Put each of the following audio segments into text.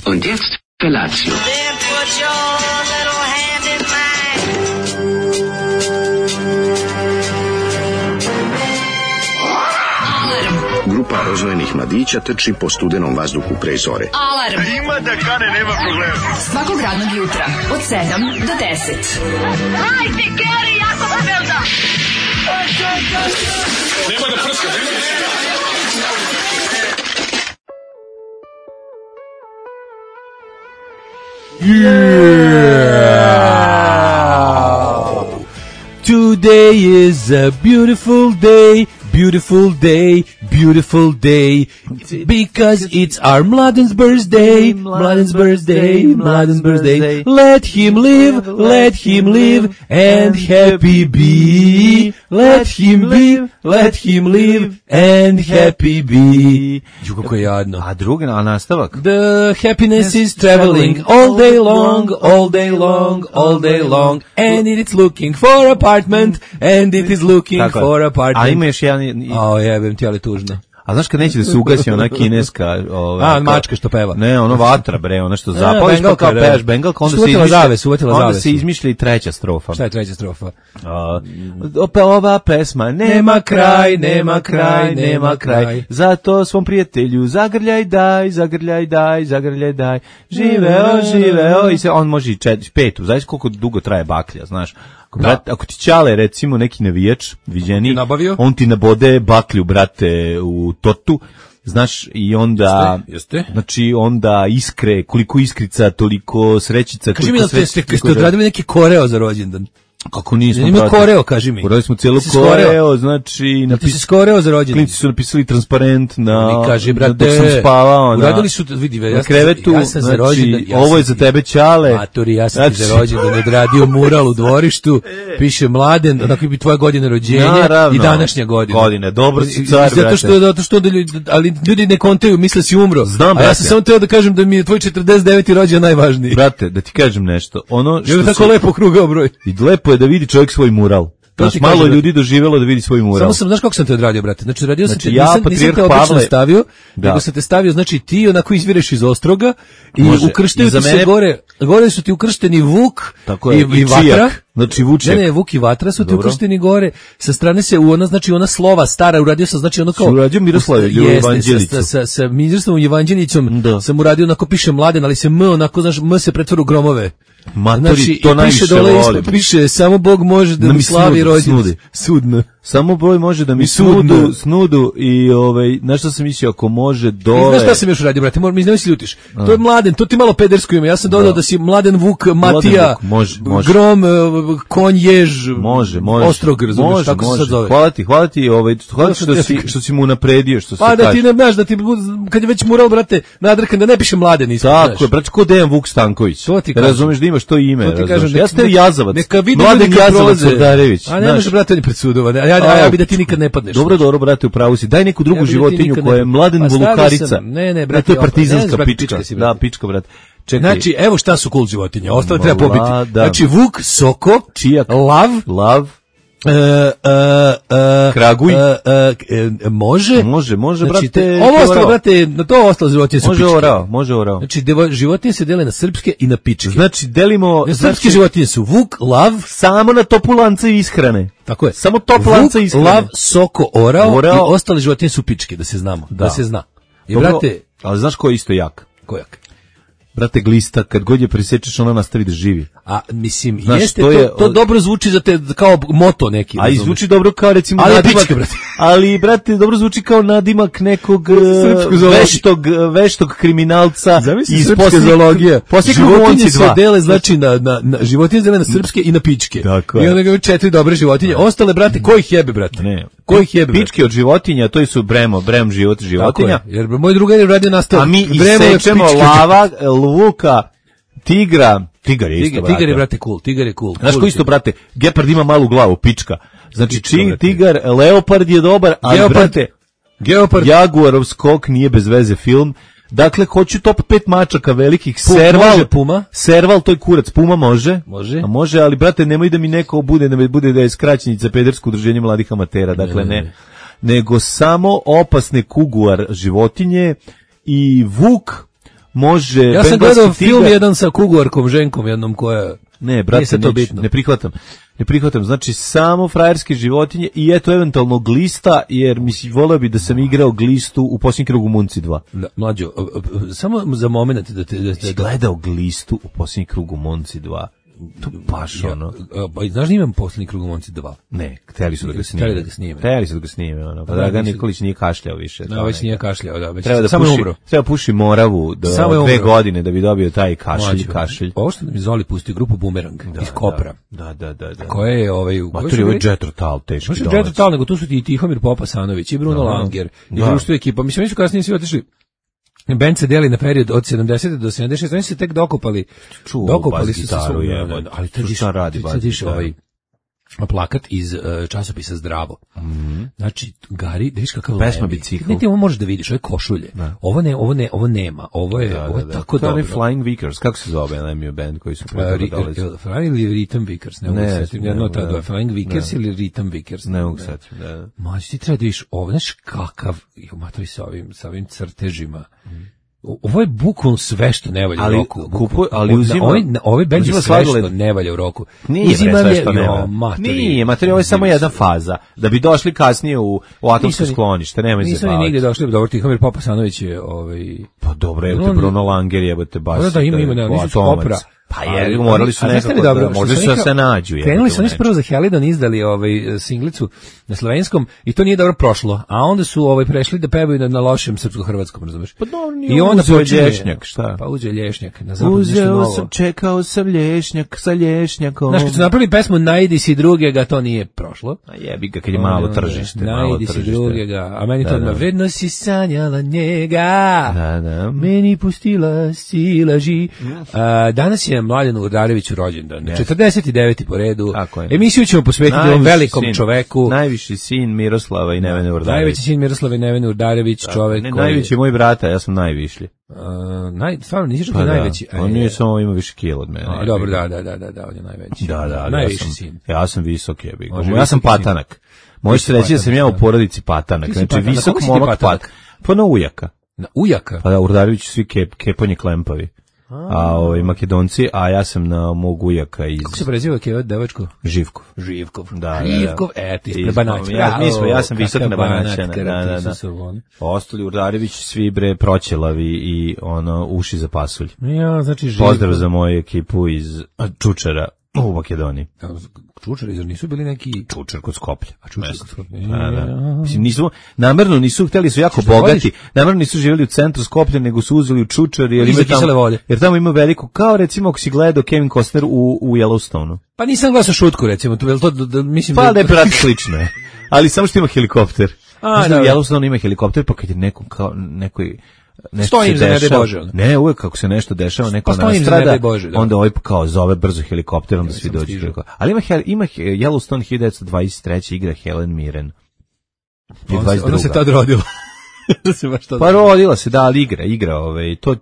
Und jetzt Felatio. Then put your little hand in mine. roznojenih mladića trči po studenom vazduhu pre zore. Alarm! Ima da kane, nema problema. Svakog radnog jutra, od 7 do 10. Hajde, Geri, jako se velda! Nema da prska, nema da prska. Yeah! Today is a beautiful day, beautiful day, beautiful day, because it's our Mladen's birthday, Mladen's birthday, Mladen's birthday. Let him live, and happy be. Let him live, and happy be. Ju, kako je jadno. A drugi, a nastavak? The happiness is traveling all day long, all day long, all day long, and it is looking for apartment, and it is looking tako for apartment. A ima još jedan... O, jebem ti, ali tužno. A znaš kad neće da se ugasi ona kineska... mačka što peva. Ne, ono vatra, bre, ono što zapališ pa kao pevaš bengalka, onda se izmišlja i treća strofa. Šta je treća strofa? Ova pesma nema kraj, nema kraj, nema kraj. Zato svom prijatelju zagrljaj daj, zagrljaj daj, zagrljaj daj. Živeo, živeo. I se on može i petu. Znaš koliko dugo traje baklja, znaš. Brat, ako ti Ćale, recimo, neki navijač, viđeni, on ti nabode baklju, brate, u tortu, znaš, i onda, Jeste? znači, onda iskre, koliko iskrica, toliko srećica. Kaži mi da ste odradili neki koreo za rođendan. Kako nismo, brate? Ima koreo, kaži mi. Uradili smo cijelu koreo, znači... Ti si koreo za rođendan. Klinci su napisali transparent na... Kaži, brate, dok sam spavao uradili su, vidi, na krevetu, ja sam za rođendan. Ovo je za tebe, Ćale. Maturi, ja sam ti za rođendan odradio mural u dvorištu, piše Mladen, onako bi tvoja godina rođenja i današnja godina. Godine, dobro si car, brate. Zato što ali ljudi ne kontaju, misle si umro. Znam, brate. A ja sam samo teo da kažem da mi je tvoj 49. rođendan najvažniji. Brate, da ti kažem nešto. Ono što je tako lepo krugao broj. I lepo je da vidi čovjek svoj mural. Znaš, malo ljudi doživjelo da vidi svoj mural. Samo sam, znaš kako sam te odradio, brate? Znači, radio sam te, ja, nisam te obično stavio, nego sam te stavio, znači ti onako izvireš iz Ostroga i ukrštaju ti se gore su ti ukršteni Vuk i Vatra. Znači Vuček. Ne, Vuk i Vatra su ti ukršteni gore, sa strane se ona slova stara, uradio sam, znači ono kao... Uradio Miroslav Evanđeliću. Sa Miroslavom Evanđelićom sam uradio, onako piše Mladen, ali se M, onako, znaš, M se pretvara u gromove. Matori, znači, to najviše volim. Piše, samo Bog može da mi slavi rođendan. Sudno. Samo Bog može da mi snudu i na što sam mislio, ako može dole... Znaš šta sam još uradio, brate, nemoj se ljutiš. To je Mladen, to ti malo pedersko ime. Ja sam dodao da si Mladen Vuk, Matija, Grom, Konj, Jež, Ostrog, razumiješ, tako se sad zove. Hvala ti što si mu napredio, što se kaže. Pa da ti ne znaš, da ti, kad je već mural, brate, nadrkan, da ne piše Mladen ispod. Tako je, brate, ko Dejan Vuk Stanković. Razumeš da imaš to ime, razumeš. Ja ste Jazavac, Mladen Jazavac Ordarević. A ne može, brate, on je pred sudova, ja bi da ti nikad ne padneš. Dobro, brate, upravo si. Daj neku drugu životinju koja je Mladen Volukarica. Ne, brate, to je partizanska pička. Da, pička, brate. Čekaj. Znači, evo šta su cool životinje. Ostale treba pobiti. Znači, Vuk, Soko, Čijak, Lav, Kraguj, može, znači, brate. Ovo ostalo, brate, na to ostalo životinje su pičke. Može orao. Znači, životinje se dele na srpske i na pičke. Znači, delimo... Srpske životinje su Vuk, Lav, samo na topu lanca i ishrane. Tako je. Samo top lanca i ishrane. Lav, Soko, orao i ostale životinje su pičke, da se znamo. Da se zna. I, brate... Ali znaš ko je isto jak? Ko jak? Brate, glista, kad god je presečeš, ona nastavi da živi. A, mislim, znaš, jeste, to dobro zvuči za te, kao moto neki. A i zvuči dobro kao, recimo, nadimak, ali, brate, dobro zvuči kao nadimak nekog veštog kriminalca iz srpske zoologije. Životinje se dele, znači, životinje se dele na srpske i na pičke. Tako je. I onda ga 4 dobre životinje. Ostale, brate, ko ih jebe, brate? Ne. Ko ih jebe? Pičke od životinja, to su brem životinja. Jer moj drugar je radio nastav. A mi isečemo lava, Vuka, tigar je isto, brate. Tigar je, brate, cool. Znaš ko isto, brate, gepard ima malu glavu, pička. Znači, tigar, leopard je dobar, ali, brate, Jaguarov skok nije bez veze film. Dakle, hoću top 5 mačaka velikih. Serval, to je kurac. Puma može, ali, brate, nemoj da mi neko bude da je skraćenica pedersko udruženje mladih amatera. Dakle, ne. Nego samo opasne kuguar životinje i Vuk može... Ja sam gledao film jedan sa kuguarkom, ženkom jednom koja... Ne, brate, ne prihvatam. Znači, samo frajerske životinje i eto eventualno glista, jer mislim, voleo bi da sam igrao glistu u posljednjem krugu Munci 2. Da, mlađo, samo za moment da gledao glistu u posljednjem krugu Munci 2. To baš ono. Znaš da imam posljednji krug u Monci 2? Ne, htjeli su da ga snime. Ono. Pa Dragan Nikolić nije kašljao više. No, već nije kašljao, da. Već treba puši Moravu do 2 godine da bi dobio taj kašelj. Ovo što mi Zoli pustio grupu Bumerang iz Kopra. Da. Koja je Maturi, ovo je Džetrotal, teški dolac. Džetrotal, nego tu su i Tihomir Popasanović, i Bruno Langer, i društvo ekipa. Mislim, oni su kasnije svi otišli. Band se deli na period od 70. do 76. Oni se tek dokopali. Dokopali su se svog. Ali to diš ovaj plakat iz časopisa Zdravo. Znači, Gari, da viš kakav pesma bicikl. Ne, ti ovo možeš da vidiš, ovo je košulje. Ovo nema. Ovo je tako dobro. To je Flying Vickers, kako se zove Lemio band koji su Flying ili Rhythm Vickers, ne mogu setim. Flying Vickers ili Rhythm Vickers. Ne mogu setim, Mađi, ti treba da vidiš ovo, znaš kakav, matori sa ovim crtežima. Ovo je bukvalno sve što ne valja u roku. Ali uzima... Ovaj band je sve što ne valja u roku. Nije sve što ne valja. Nije, materi, ovo je samo jedna faza. Da bi došli kasnije u atomsko sklonište, nemoj se baviti. Nisu ni nigde došli, dobro, Tihomir Popasanović je... Pa dobro, evo te Bruno Langer, jebote, baš... Da, ima, nisu Skopra. Pa je, morali su nekako, možda su se nađu. Krenuli su oni prvo za Helidon, izdali singlicu na slovenskom i to nije dobro prošlo, a onda su prešli da pevaju na lošem srpsko-hrvatskom, razumeš? Pa dobro, nije uzeo lješnjak, šta? Pa uzeo lješnjak. Čekao sam lješnjak sa lješnjakom. Znaš, kad su napravili pesmu Najdi si drugega, to nije prošlo. A jebi ga, kad je malo tržište. Najdi si drugega, a meni to odmah, vredno si sanjala njega, meni pustila si laži. Danas je Mladenu Urdareviću rođendan. 49. po redu. Emisiju ćemo posvetiti ovom velikom čoveku. Najviši sin Miroslava i Nevene Urdarević. Najveći sin Miroslava i Nevene Urdarević, čovek koji... Najveći je moj brata, ja sam najvišlji. Stvarno, nisi što je najveći. On nije samo ima više kilo od mene. Dobro, da, on je najveći. Da, najviši sin. Ja sam visok, jebi. Ja sam patanak. Možeš reći da sam ja u porodici patanak. Znači, visok momak patanak. Pa na ujaka. Na ujaka? Pa da, Urdarević svi keponje klempavi. A Makedonci, a ja sam na mog ujaka iz... Kako se preziva kevat devačko? Živkov. Da. Ti ispred Banaćka. Ja sam visok na Banaćana. Da. Ostali Urdarević svi proćelavi i uši za pasulj. Ja, znači Živkov. Pozdrav za moju ekipu iz Čučera u Makedoniji. Čučer, jer nisu bili neki... Čučer kod Skoplja. Mislim, namerno nisu htjeli, su jako bogati, namerno nisu živjeli u centru Skoplja, nego su uzeli u Čučer, jer tamo ima veliko, kao recimo ako si gledao Kevin Costner u Yellowstoneu. Pa nisam gledao Šutku, recimo, mislim... Pa da je brat slično je, ali samo što ima helikopter. U Yellowstoneu ima helikopter, pa kad je nekoj stojim za nebe Bože. Ne, uvek kako se nešto dešava, neko nastrada, onda kao zove brzo helikopter, onda svi dođu. Ali ima Yellowstone 1923. igra Helen Mirren. Ona se tad rodila. Pa rodila se, da, ali igra,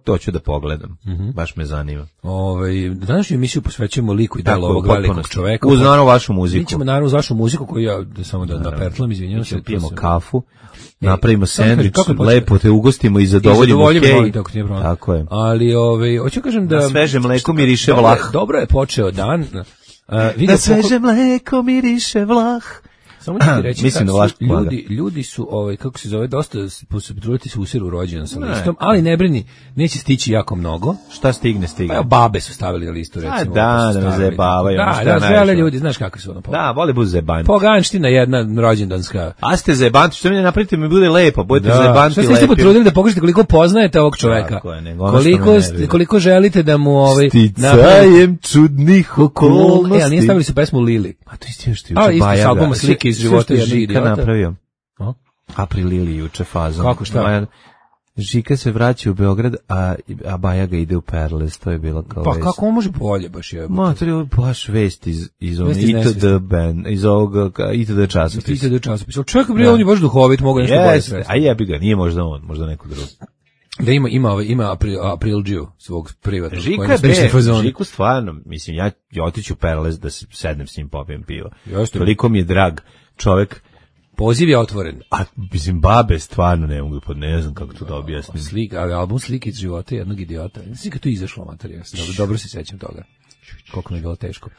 to ću da pogledam. Baš me zanima. Današnju emisiju posvećujemo liku i delu ovog velikog čoveka. Uz naravno vašu muziku. Mi ćemo naravno uz vašu muziku koju ja samo da napertlam, izvinjam se. Pijemo kafu. Napravimo sendvič, lepo te ugostimo i zadovoljimo tako je. Ali hoću kažem da na sveže mleko miriše vlah. Dobro je počeo dan. Na sveže mleko miriše vlah. Samo ću ti reći, ljudi su, kako se zove, dosta potruditi se usiru rođendan sa listom, ali ne brini, neće stići jako mnogo. Šta stigne? Pa babe su stavili na listu, recimo. Da me zajebavaju. Da, žele ljudi, znaš kako su ono. Da, vole budu zajebanti. Poganština jedna rođendanska. A ste zajebanti, što mi ne napravite mi bude lepo, budete zajebanti lepi. Što ste potrudili da pokažete koliko poznajete ovog čoveka? Koliko želite da mu sticajem čudnih okolnosti. Ali nije stavili su pesmu Lili. A to isto što juče Bajaga. Života je Žika napravio. April Lili juče fazom. Kako šta? Žika se vraća u Beograd, a Bajaga ide u Perles, to je bilo kao pa vest. Pa kako može bolje baš je? To je baš vest iz ovog ITD časopisa. ITD časopisa. Čovjek bre, on je baš duhovit, mogu nešto bolje svesti. A jebi ga, nije možda on, možda neko drugi. Da ima Aprilđiju svog privatnog. Žiku stvarno, mislim, ja otiću u Perles da se sednem s njim, popijem pivo. Toliko mi je drag čovjek. Poziv je otvoren. A mislim, babe stvarno ne mogu, ne znam kako to da objasnim. Album slike iz života jednog idiota. Mislim kad to izašlo materija, dobro se sećam toga. Koliko mi je bilo teško.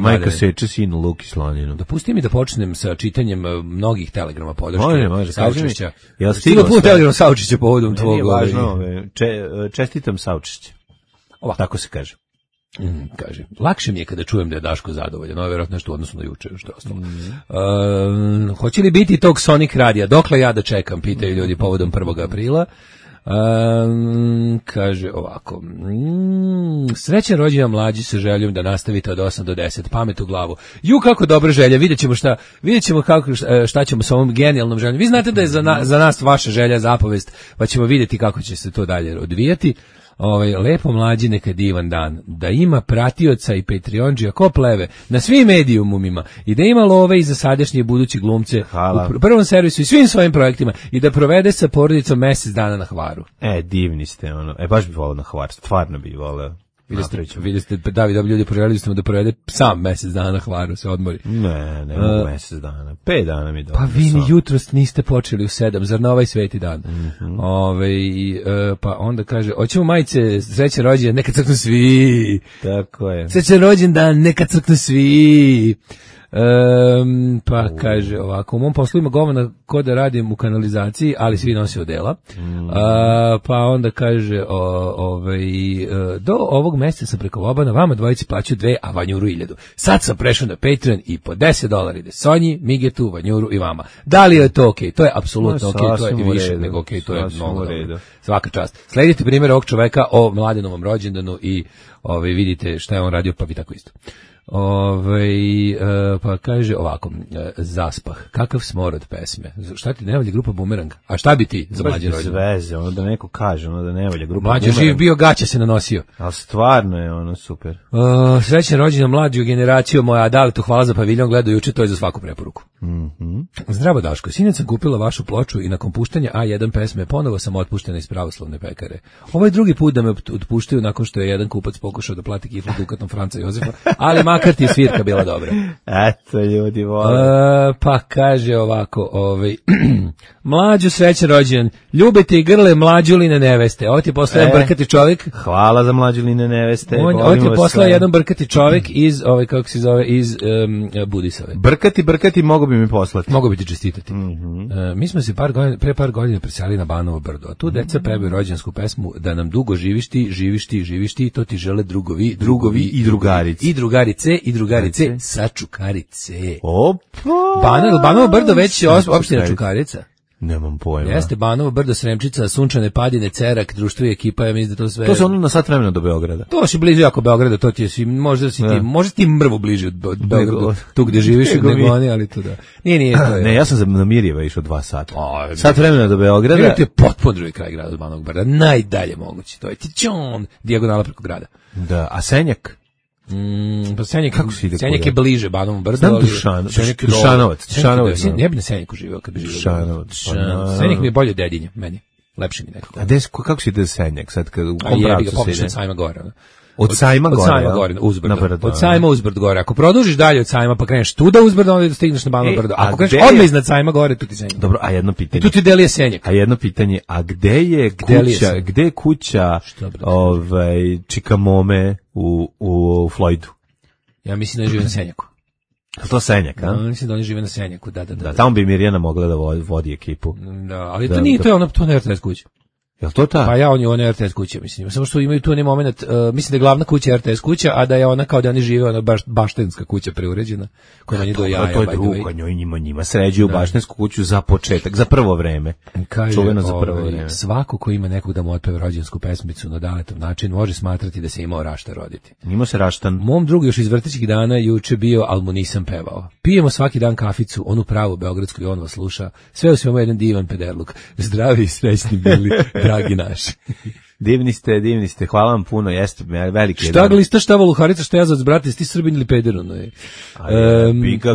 Majka seče sinu Luki Slaninu. Dopusti mi da počnem sa čitanjem mnogih telegrama podrške. Može, saučešća. Ja stigao puno telegrama saučešća povodom tvog. Nije važno, čestitam saučešće. Tako se kaže. Kaže, lakše mi je kada čujem da je Daško zadovoljan, ovo je vjerojatno nešto u odnosu na juče, što je ostalo. Hoće li biti tog Sonic radija? Dokle ja da čekam, pitaju ljudi povodom 1. aprila. Kaže ovako, srećan rođendan mlađi sa željom da nastavite od 8 do 10, pamet u glavu. Kako dobra želja, vidjet ćemo šta ćemo s ovom genijalnom željom. Vi znate da je za nas vaša želja zapovest, pa ćemo vidjeti kako će se to dalje odvijati. Lepo mlađi, neka divan dan, da ima pratioca i Patreonđija ko pleve na svim medijumima i da ima love i za sadašnje i budući glumce u prvom servisu i svim svojim projektima i da provede sa porodicom mjesec dana na Hvaru. Divni ste, baš bi volao na Hvar, stvarno bi volao. Vidjeli ste, David, ljudi poželjeli ste mu da provede sam mjesec dana na Hvaru, se odmori. Ne mogu mjesec dana, 5 dana mi dobro. Pa vi ni jutros niste počeli u 7, zar na ovaj sveti dan? Pa onda kaže, hoćemo majice, srećan rođendan, neka crknu svi. Tako je. Srećan rođendan, neka crknu svi. Pa kaže ovako, u mom poslu ima govana ko da radim u kanalizaciji, ali svi nosi odela. Pa onda kaže do ovog mjeseca sam preko Vobana vama dvojici plaću 2, a Vanjuru 1000. Sad sam prešao na Patreon i po $10 ide Sonji, Migetu, Vanjuru i vama. Da li je to okej? To je apsolutno okej, to je više nego okej, to je mnogo dobro. Svaka čast. Sledite primjer ovog čoveka o Mladenovom rođendanu i vidite šta je on radio, pa vi tako isto. Pa kaže ovako, zaspah, kakav smor od pesme. Šta ti ne volja grupa Bumerang? A šta bi ti za mlađe rođendan? Bez veze, da neko kaže, da ne volja grupa Bumerang. Mlađe živ bio, gaća se nanosio. Ali stvarno je super. Srećan rođendan mlađu generaciju moja, a da li to hvala za paviljon, gledao juče, to je za svaku preporuku. Zdravo Daško, sinoć sam kupila vašu ploču i nakon puštanja A1 pesme ponovo sam otpuštena iz pravoslavne pekare. Ovo je drugi put da me otpuštaju nakon što je jedan kupac pokušao da plati kiflu dukatom Franca Jozefa, ali makar ti je svirka bila dobra. Eto, ljudi vole. Pa kaže ovako, mlađu srećan rođendan, ljubite i grle mlađuline neveste. Ovo ti je poslao jedan brkati čovjek. Hvala za mlađuline neveste. Ovo ti je poslao jedan brkati čovjek iz, kako se zove, iz Budisave. Brkati, mogu bi mi poslati. Mogu bi ti čestitati. Mi smo se pre par godina preselili na Banovo brdo, a tu deca pevaju rođendansku pesmu da nam dugo živiš ti, to ti žele drugovi i drugarice. I drugarice sa Čukarice. Opa! Banovo brdo već je opština Čukarica. Nemam pojma. Jeste Banovo brdo, Sremčica, Sunčane padine, Cerak, društvo i ekipa, ja mislim da to sve. To su na sat vremena do Beograda. To si blizu jako Beograda, to ti je možda ti mrvu bliže od Beograda, tu gde živiš nego oni, ali tu da. Nije to je. Ne, ja sam na Mirjeva išao 2 sata. Sat vremena do Beograda. Mirjev je potpuno drugi kraj grada od Banovog brda, najdalje moguće. To je tičon, dijagonala preko grada. Da, a Senjak? Pa Senjak je bliže Banovom brdu. Znam Dušanovac. Ne bi na Senjaku živeo kad bi živeo. Senjak mi je bolje Dedinje, meni. Lepše mi nekako. A kako si ide Senjak sad kad u kom pravcu se ide? Popišem od Sajma gore. Od Sajma gore, uzbrdo. Od Sajma uzbrdo gore. Ako produžiš dalje od Sajma pa kreneš tuda uzbrdo, onda stigneš na Banovo brdo. Ako kreneš odmah iznad Sajma gore, tu ti Senjak. Dobro, a jedno pitanje. Tu ti Delije Senjak. A jedno pitanje, a gde je kuća Čikamome u Floydu? Ja mislim da žive na Senjaku. To Senjak, a? Mislim da oni žive na Senjaku, da. Tamo bi Mirjana mogla da vodi ekipu. Da, ali to nije, to ne RTS kuća. Jel to ta? Pa on je RTS kuća, mislim. Samo što imaju tu onaj moment, mislim da je glavna kuća RTS kuća, a da je ona kao da oni žive, ona baštenska kuća preuređena, koja na njih do jaja. To je drugo, njima sređuju baštensku kuću za početak, za prvo vreme. Čuveno za prvo vreme. Svako ko ima nekog da mu otpeve rođensku pesmicu na daletov način, može smatrati da se imao rašta roditi. Imao se raštan. Mom drugu još iz vrtićkih dana juče bio, ali mu nisam pevao. Pijemo svaki dan kaficu, onu pravu beogradsku i on vas sluša. Sve u svemu jedan divan pederluk. Zdravi i srećni bili, dragi naši. Divni ste, hvala vam puno, jeste veliki jedan. Šta glista, šta voluharica, šta jazac, brate, ti Srbin ili peder, ono je.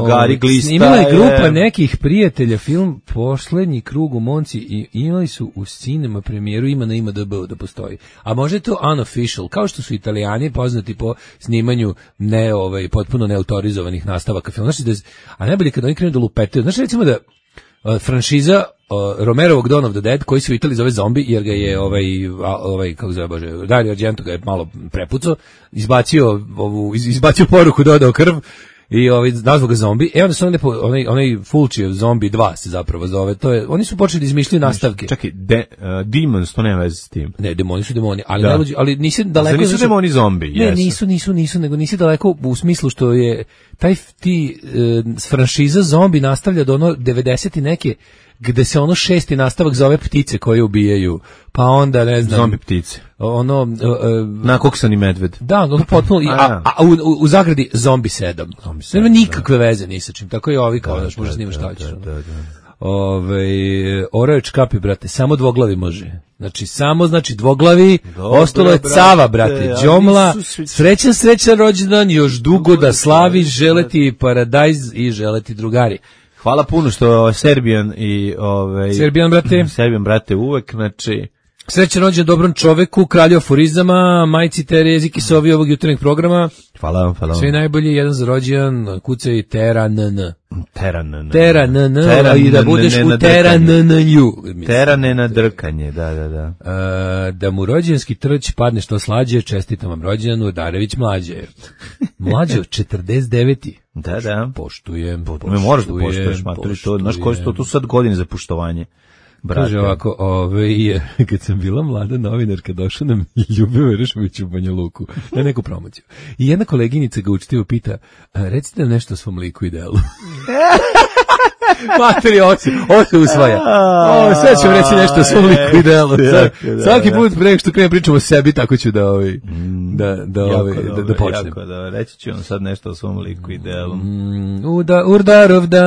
Gari glista. Imala je grupa nekih prijatelja, film Poslednji krug u Monci i imali su u cinema premijeru, ima na IMDb da postoji. A može to unofficial, kao što su Italijani poznati po snimanju potpuno neautorizovanih nastavaka filma. Znači a najbolje kad oni krenu da lupetaju. Znači recimo da franšiza Romerovog Dawn of the Dead, koji se u Italiji zove Zombi, jer ga je kako zove, Bože, Dario Argento ga je malo prepucao, izbacio poruku, dodao krv, i nazvao ga Zombi. Onda su onaj Fulcijev Zombi 2 se zapravo zove. Oni su počeli da izmišljaju nastavke. Čekaj, Demons, to nema veze s tim. Ne, demoni su demoni, ali nisi daleko. Nisu demoni zombi, ne, nisu, nego nisi daleko u smislu što je franšiza Zombi nastavlja do 90 i neke, gde se 6. nastavak zove Ptice koje ubijaju, pa onda ne znam Zombi ptice, nakoksani medved, da, potpuno, u zagradi Zombi 7, nema nikakve veze ni sa čim, tako i ovi kao daš, možeš snimaš šta hoćeš. Oreo je čkapi, brate, samo dvoglavi može. Znači dvoglavi, ostalo je Cava, brate, Đomla, srećan rođendan, još dugo da slavi, želeti paradajz i želeti drugari. Hvala puno što Serbijan brate uvek, znači srećan rođendan dobrom čoveku, kralju aforizama, majci Terezi Kisovi ovog jutarnjeg programa. Hvala. Sve najbolje, jedan za rođendan, kucaj Tera NN. I da budeš u Tera NN-lju. Tera ne na drkanje, da. Da mu rođendanski trč padne što slađe, čestitam vam rođendanu, Darević mlađe. Mlađe od 49. Da. Poštujem. Me moraš da poštuješ, maturi, to, znaš koji su to sad godine za poštovanje. Brate. Kaže ovako, kad sam bila mlada novinarka, došla nam Ljubomir Rešović u Banja Luku na neku promociju. I jedna koleginica ga učitivo pita, recite nam nešto o svom liku i delu. Materi, ovo se usvaja. Sve ću reći nešto o svom liku i delu. Svaki put preko što krenem pričam o sebi, tako ću da počnem. Jako da, reći ću vam sad nešto o svom liku i delu. Urdarov dan.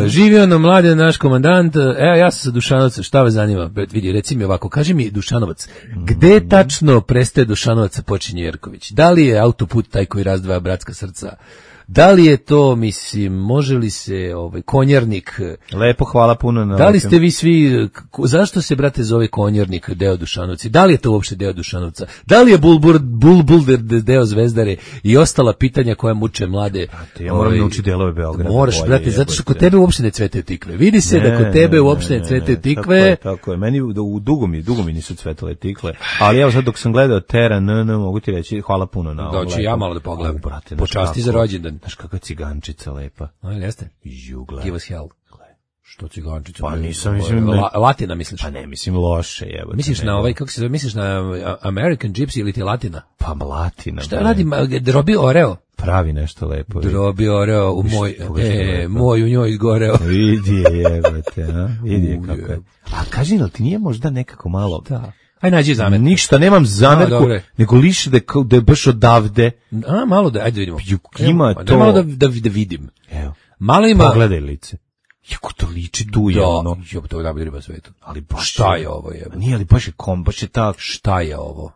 Živio nam mladi naš komandant. Evo, ja sam sa Dušanovca, šta vas zanima? Vidi, reci mi ovako, kaži mi Dušanovac, gde tačno prestaje Dušanovac, a počinje Jerković? Da li je autoput taj koji razdvaja bratska srca? Da li je to, mislim, može li se Konjarnik? Lepo, hvala puno na. Da li ste vi svi, zašto se, brate, zove Konjarnik deo Dušanovci? Da li je to uopšte deo Dušanovca? Da li je Bulbul deo Zvezdare i ostala pitanja koja muče mlade? Brate, ja moram naučiti delove Beograda. Moraš, brate, zato što kod tebe uopšte ne cvetaju tikve. Vidi se da kod tebe uopšte ne cvetaju tikve. Tako je. Meni dugo mi nisu cvetale tikve. Ali evo sad dok sam gledao Tera NN, mogu ti reći hvala puno na ovo. Doći ja malo da pogledam. Počasti za rođendan. Znaš kakva cigančica lepa. Jeste? Jugle. Give us hell. Što cigančica? Pa nisam, mislim... Latina misliš? Pa ne, mislim loše, jebote. Misliš na kako se zove, misliš na American Gypsy ili ti Latina? Pa Latina. Šta radi Drobi Oreo? Pravi nešto lepo. Drobi Oreo u moj u njoj izgoreo. Vidi je, jebote, a? Vidi je kako je. A kaži, ali ti nije možda nekako malo... Da. Aj nađi zamerku. Ništa, nemam zamerku, nego liše da je baš odavde. Malo da, ajde vidimo. Ima to. Malo da vidim. Evo. Malo ima. Pogledaj lice. Jako to liči tu je ono. Jo, to je najbolja riba svetu. Ali baš šta je ovo je? Nije, ali baš je baš je tak. Šta je ovo?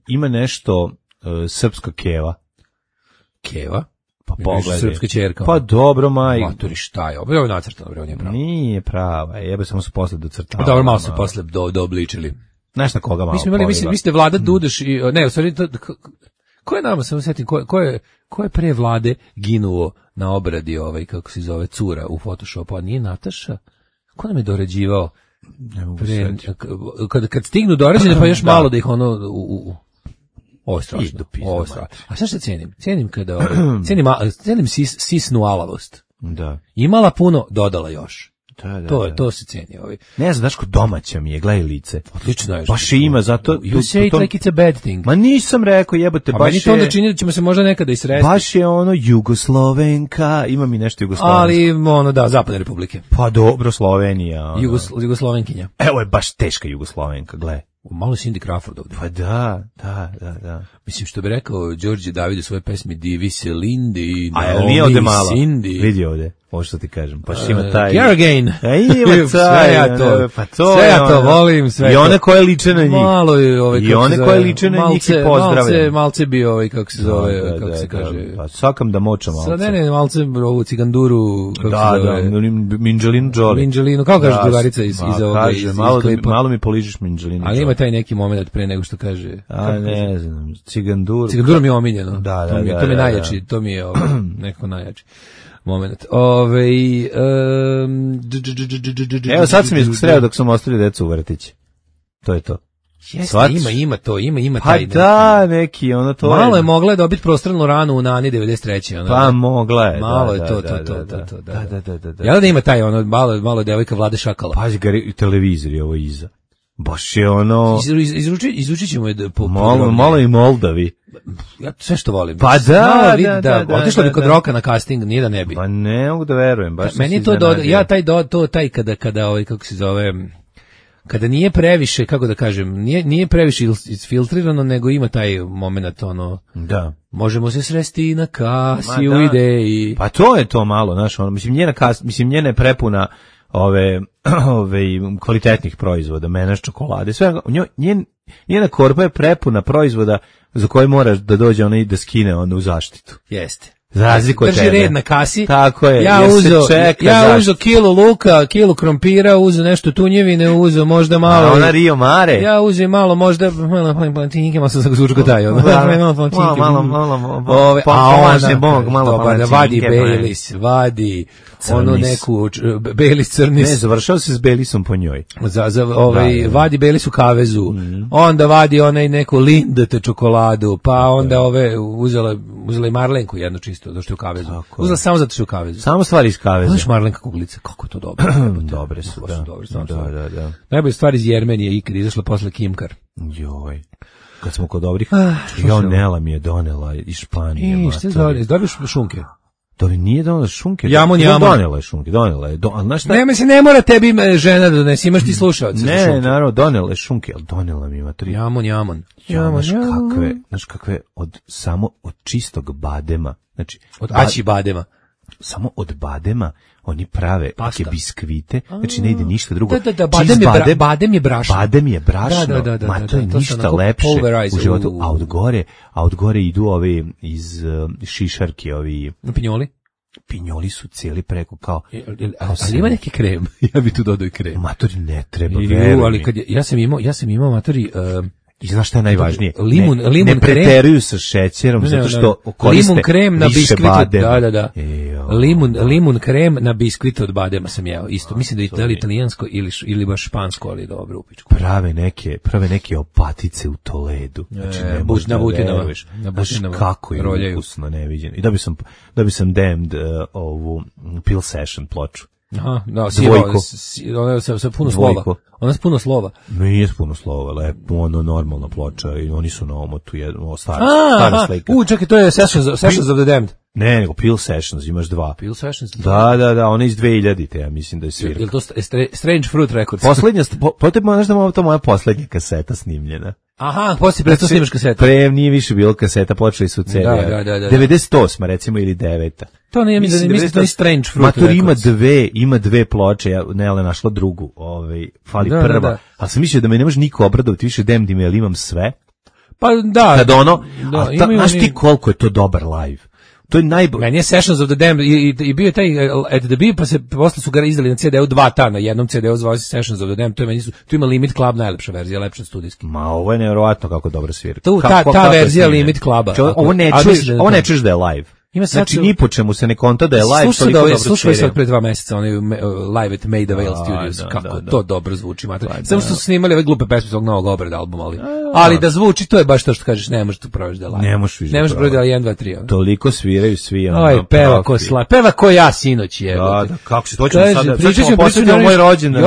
Ima nešto srpska keva. Keva? Pa pogledaj. Srpska ćerka. Pa dobro, majko. Maturi, šta je ovo? Ovo je nacrtano, ovo nije pravo. Nije prava, jebe samo se posle docrtava. Dobro, malo se posle doobličili. Znaš na koga malo vi ste Vlada Dudeš i... Ne, u stvari, ko je nama, samo setim, ko je pre Vlade ginuo na obradi kako se zove, cura u Photoshopu, a nije Nataša? Ko nam je dorađivao? Kad stignu dorađene, pa još malo da ih ovo je strašno. A šta što cenim? Cenim kada... Cenim sisnu alavost. Da. Imala puno, dodala još. To se ceni. Ne znam, daš ko domaća mi je, gledaj lice. Odlično je. Baš ima, zato... You say it like it's a bad thing. Ma nisam rekao, jebote, baš je... A meni to onda čini da ćemo se možda nekada isresti. Baš je Jugoslovenka, ima mi nešto jugoslovensko. Ali, Zapadne republike. Pa dobro, Slovenija. Jugoslovenkinja. Evo je baš teška Jugoslovenka, gledaj. Malo Cindy Crawford ovdje. Pa da. Mislim, što bi rekao Đorđe David u svojoj pesmi Divi se Lindi, Naomi Cindy. Vidi ovdje. ovo što ti kažem, pa ima taj... Caragain. Ima taj, sve ja to, pa to sve je ja to volim, sve i to. one koje liče na njih. Malo je i one koje liče na njih i pozdravljam. Malce bi kako se zove, kako se kaže. Pa sakam da moča malce. Sad ne, malce ovu ciganduru, kako se zove. Minđelinu Jolie. Minđelinu, kako kaže drugarica iz ovoga, iz klipa. Malo mi poližiš Minđelinu. Ali ima taj neki moment pre nego što kaže. Ne znam, ciganduru. Ciganduru mi je omiljeno. Da. To mi je najjači, to mi je neko najjači moment. Evo sad sam iskusreo dok sam ostavio decu u vrtići. To je to. Jeste, ima taj. Pa da, neki, ono to malo je mogla dobiti prostornu ranu u Nani 93. Pa mogla je. Malo je to. Da. Jel da ima taj, ono, malo devojka Vlade Šakala? Pazi ga i televizor je ovo iza. Baš je ono... Izručit ćemo je po malo i Moldavi. Ja sve što volim. Pa da. Otišla bi kod Roka na casting, nije da ne bi. Pa ne mogu da verujem. Baš meni je to taj kada kako se zove... Kada nije previše, kako da kažem, nije previše isfiltrirano, nego ima taj moment, ono, da. Možemo se sresti na kasi u ideji. Pa to je to malo, znaš, ono, njena je prepuna ove kvalitetnih proizvoda, menaš čokolade, sve, njena korpa je prepuna proizvoda za koje moraš da dođe ona i da skine onda u zaštitu. Jeste. Za razliku od tebe. Drži red na kasi. Tako je. Ja uzeo kilu luka, kilu krompira, uzeo nešto tunjevine, uzeo možda malo. A ona Rio Mare. Ja uzeo malo možda plantinike, malo sam se zvučko taj. Malo vadi Baileys, vadi onu neku Baileys crnis. Ne, završao se s Baileysom po njoj. Vadi Baileys u kavezu. Onda vadi onaj neku Lindt čokoladu, pa onda uzela i Marlenku jednu čisto, došto je u kavezu. Uzela samo zato što je u kavezu. Samo stvari iz kaveza. Znaš Marlenka kuglica, kako je to dobro. Dobre su, da. Najbolja stvar iz Jermenije ikad izašla posle Kimkar. Joj. Kad smo kod dobrih, Nela mi je donela iz Španije. Šta dobiš šunke? To nije donela šunke. Jamon. Donela je šunke, znaš šta? Ne mora tebi žena da donesi, imaš ti slušaoce. Ne, naravno, donela je šunke, ali donela mi ima 3. Jamon. Znaš kakve, samo od čistog badema. Znači, od aći badema. Samo od badema oni prave neke biskvite, znači ne ide ništa drugo. Badem je brašno. Badem je brašno, ma to je ništa lepše u životu, a od gore idu ovi iz šišarke, ovi... Pinjoli su cijeli preko kao... Ali ima neki krem, ja bi tu dodao i krem. Matori ne treba, verujem. Ali kad ja sam imao matori... I znaš šta je najvažnije? Limun ne preteruju sa šećerom, zato što koriste limun krem na biskvit. Da. Limun Limun krem na biskvit od badema sam jeo. Isto, mislim da je italijansko ili baš špansko, ali dobro u pičku. Prave neke opatice u Toledu. Znači ne možeš da veruješ. Kako je ukusno, neviđeno. I da bi sam damned ovu Pill Session ploču. Aha, da, ona sa puno slova. Ona sa puno slova. Nije puno slova, lepo, ono normalna ploča i oni su na omotu jedno stara slika. Čekaj, to je Sessions of the Damned. Ne, nego Pill Sessions, imaš 2. Pill Sessions? Da, ona iz 2000-te, ja mislim da je svirka. Je li to Strange Fruit Records? Poslednja, znaš da je to moja poslednja kaseta snimljena. Aha, poslije prestao snimaš kaseta. Nije više bilo kaseta, počeli su CD. Da. 98, recimo, ili 9. To nije, mislim da je Strange Fruit Matur ima dve ploče, Nela našla drugu, fali prva. Ali sam mislio da me ne može niko obradovati više Damned, ali imam sve. Pa da. Kad znaš ti koliko je to dobar live? To je najbolje. Meni je Sessions of the Damned i bio je taj At the Beat, pa posle su ga izdali na CD-u 2 ta, na jednom CD-u zvao se Sessions of the Damned, tu ima Limit Club, najlepša verzija, lepša studijski. Ma ovo je nevjerovatno kako dobro svira. Ta verzija Limit Cluba. Ovo ne čuješ da je live. Znači ni po čemu se ne konta da je live, toliko dobro svira. Slušaj sad pre 2 meseca, onaj live at Maida Vale Studios, kako to dobro zvuči. Samo što su snimali ove glupe pesme svog novog obrada albuma, ali da zvuči, to je baš to što kažeš, ne možeš tu provesti da je live. Ne možeš više. Ne možeš provesti da je 1, 2, 3. Toliko sviraju svi. Oj, peva ko ja sinoć je. Da, kako se to ćemo sada, ćemo posjetiti moj rođendan.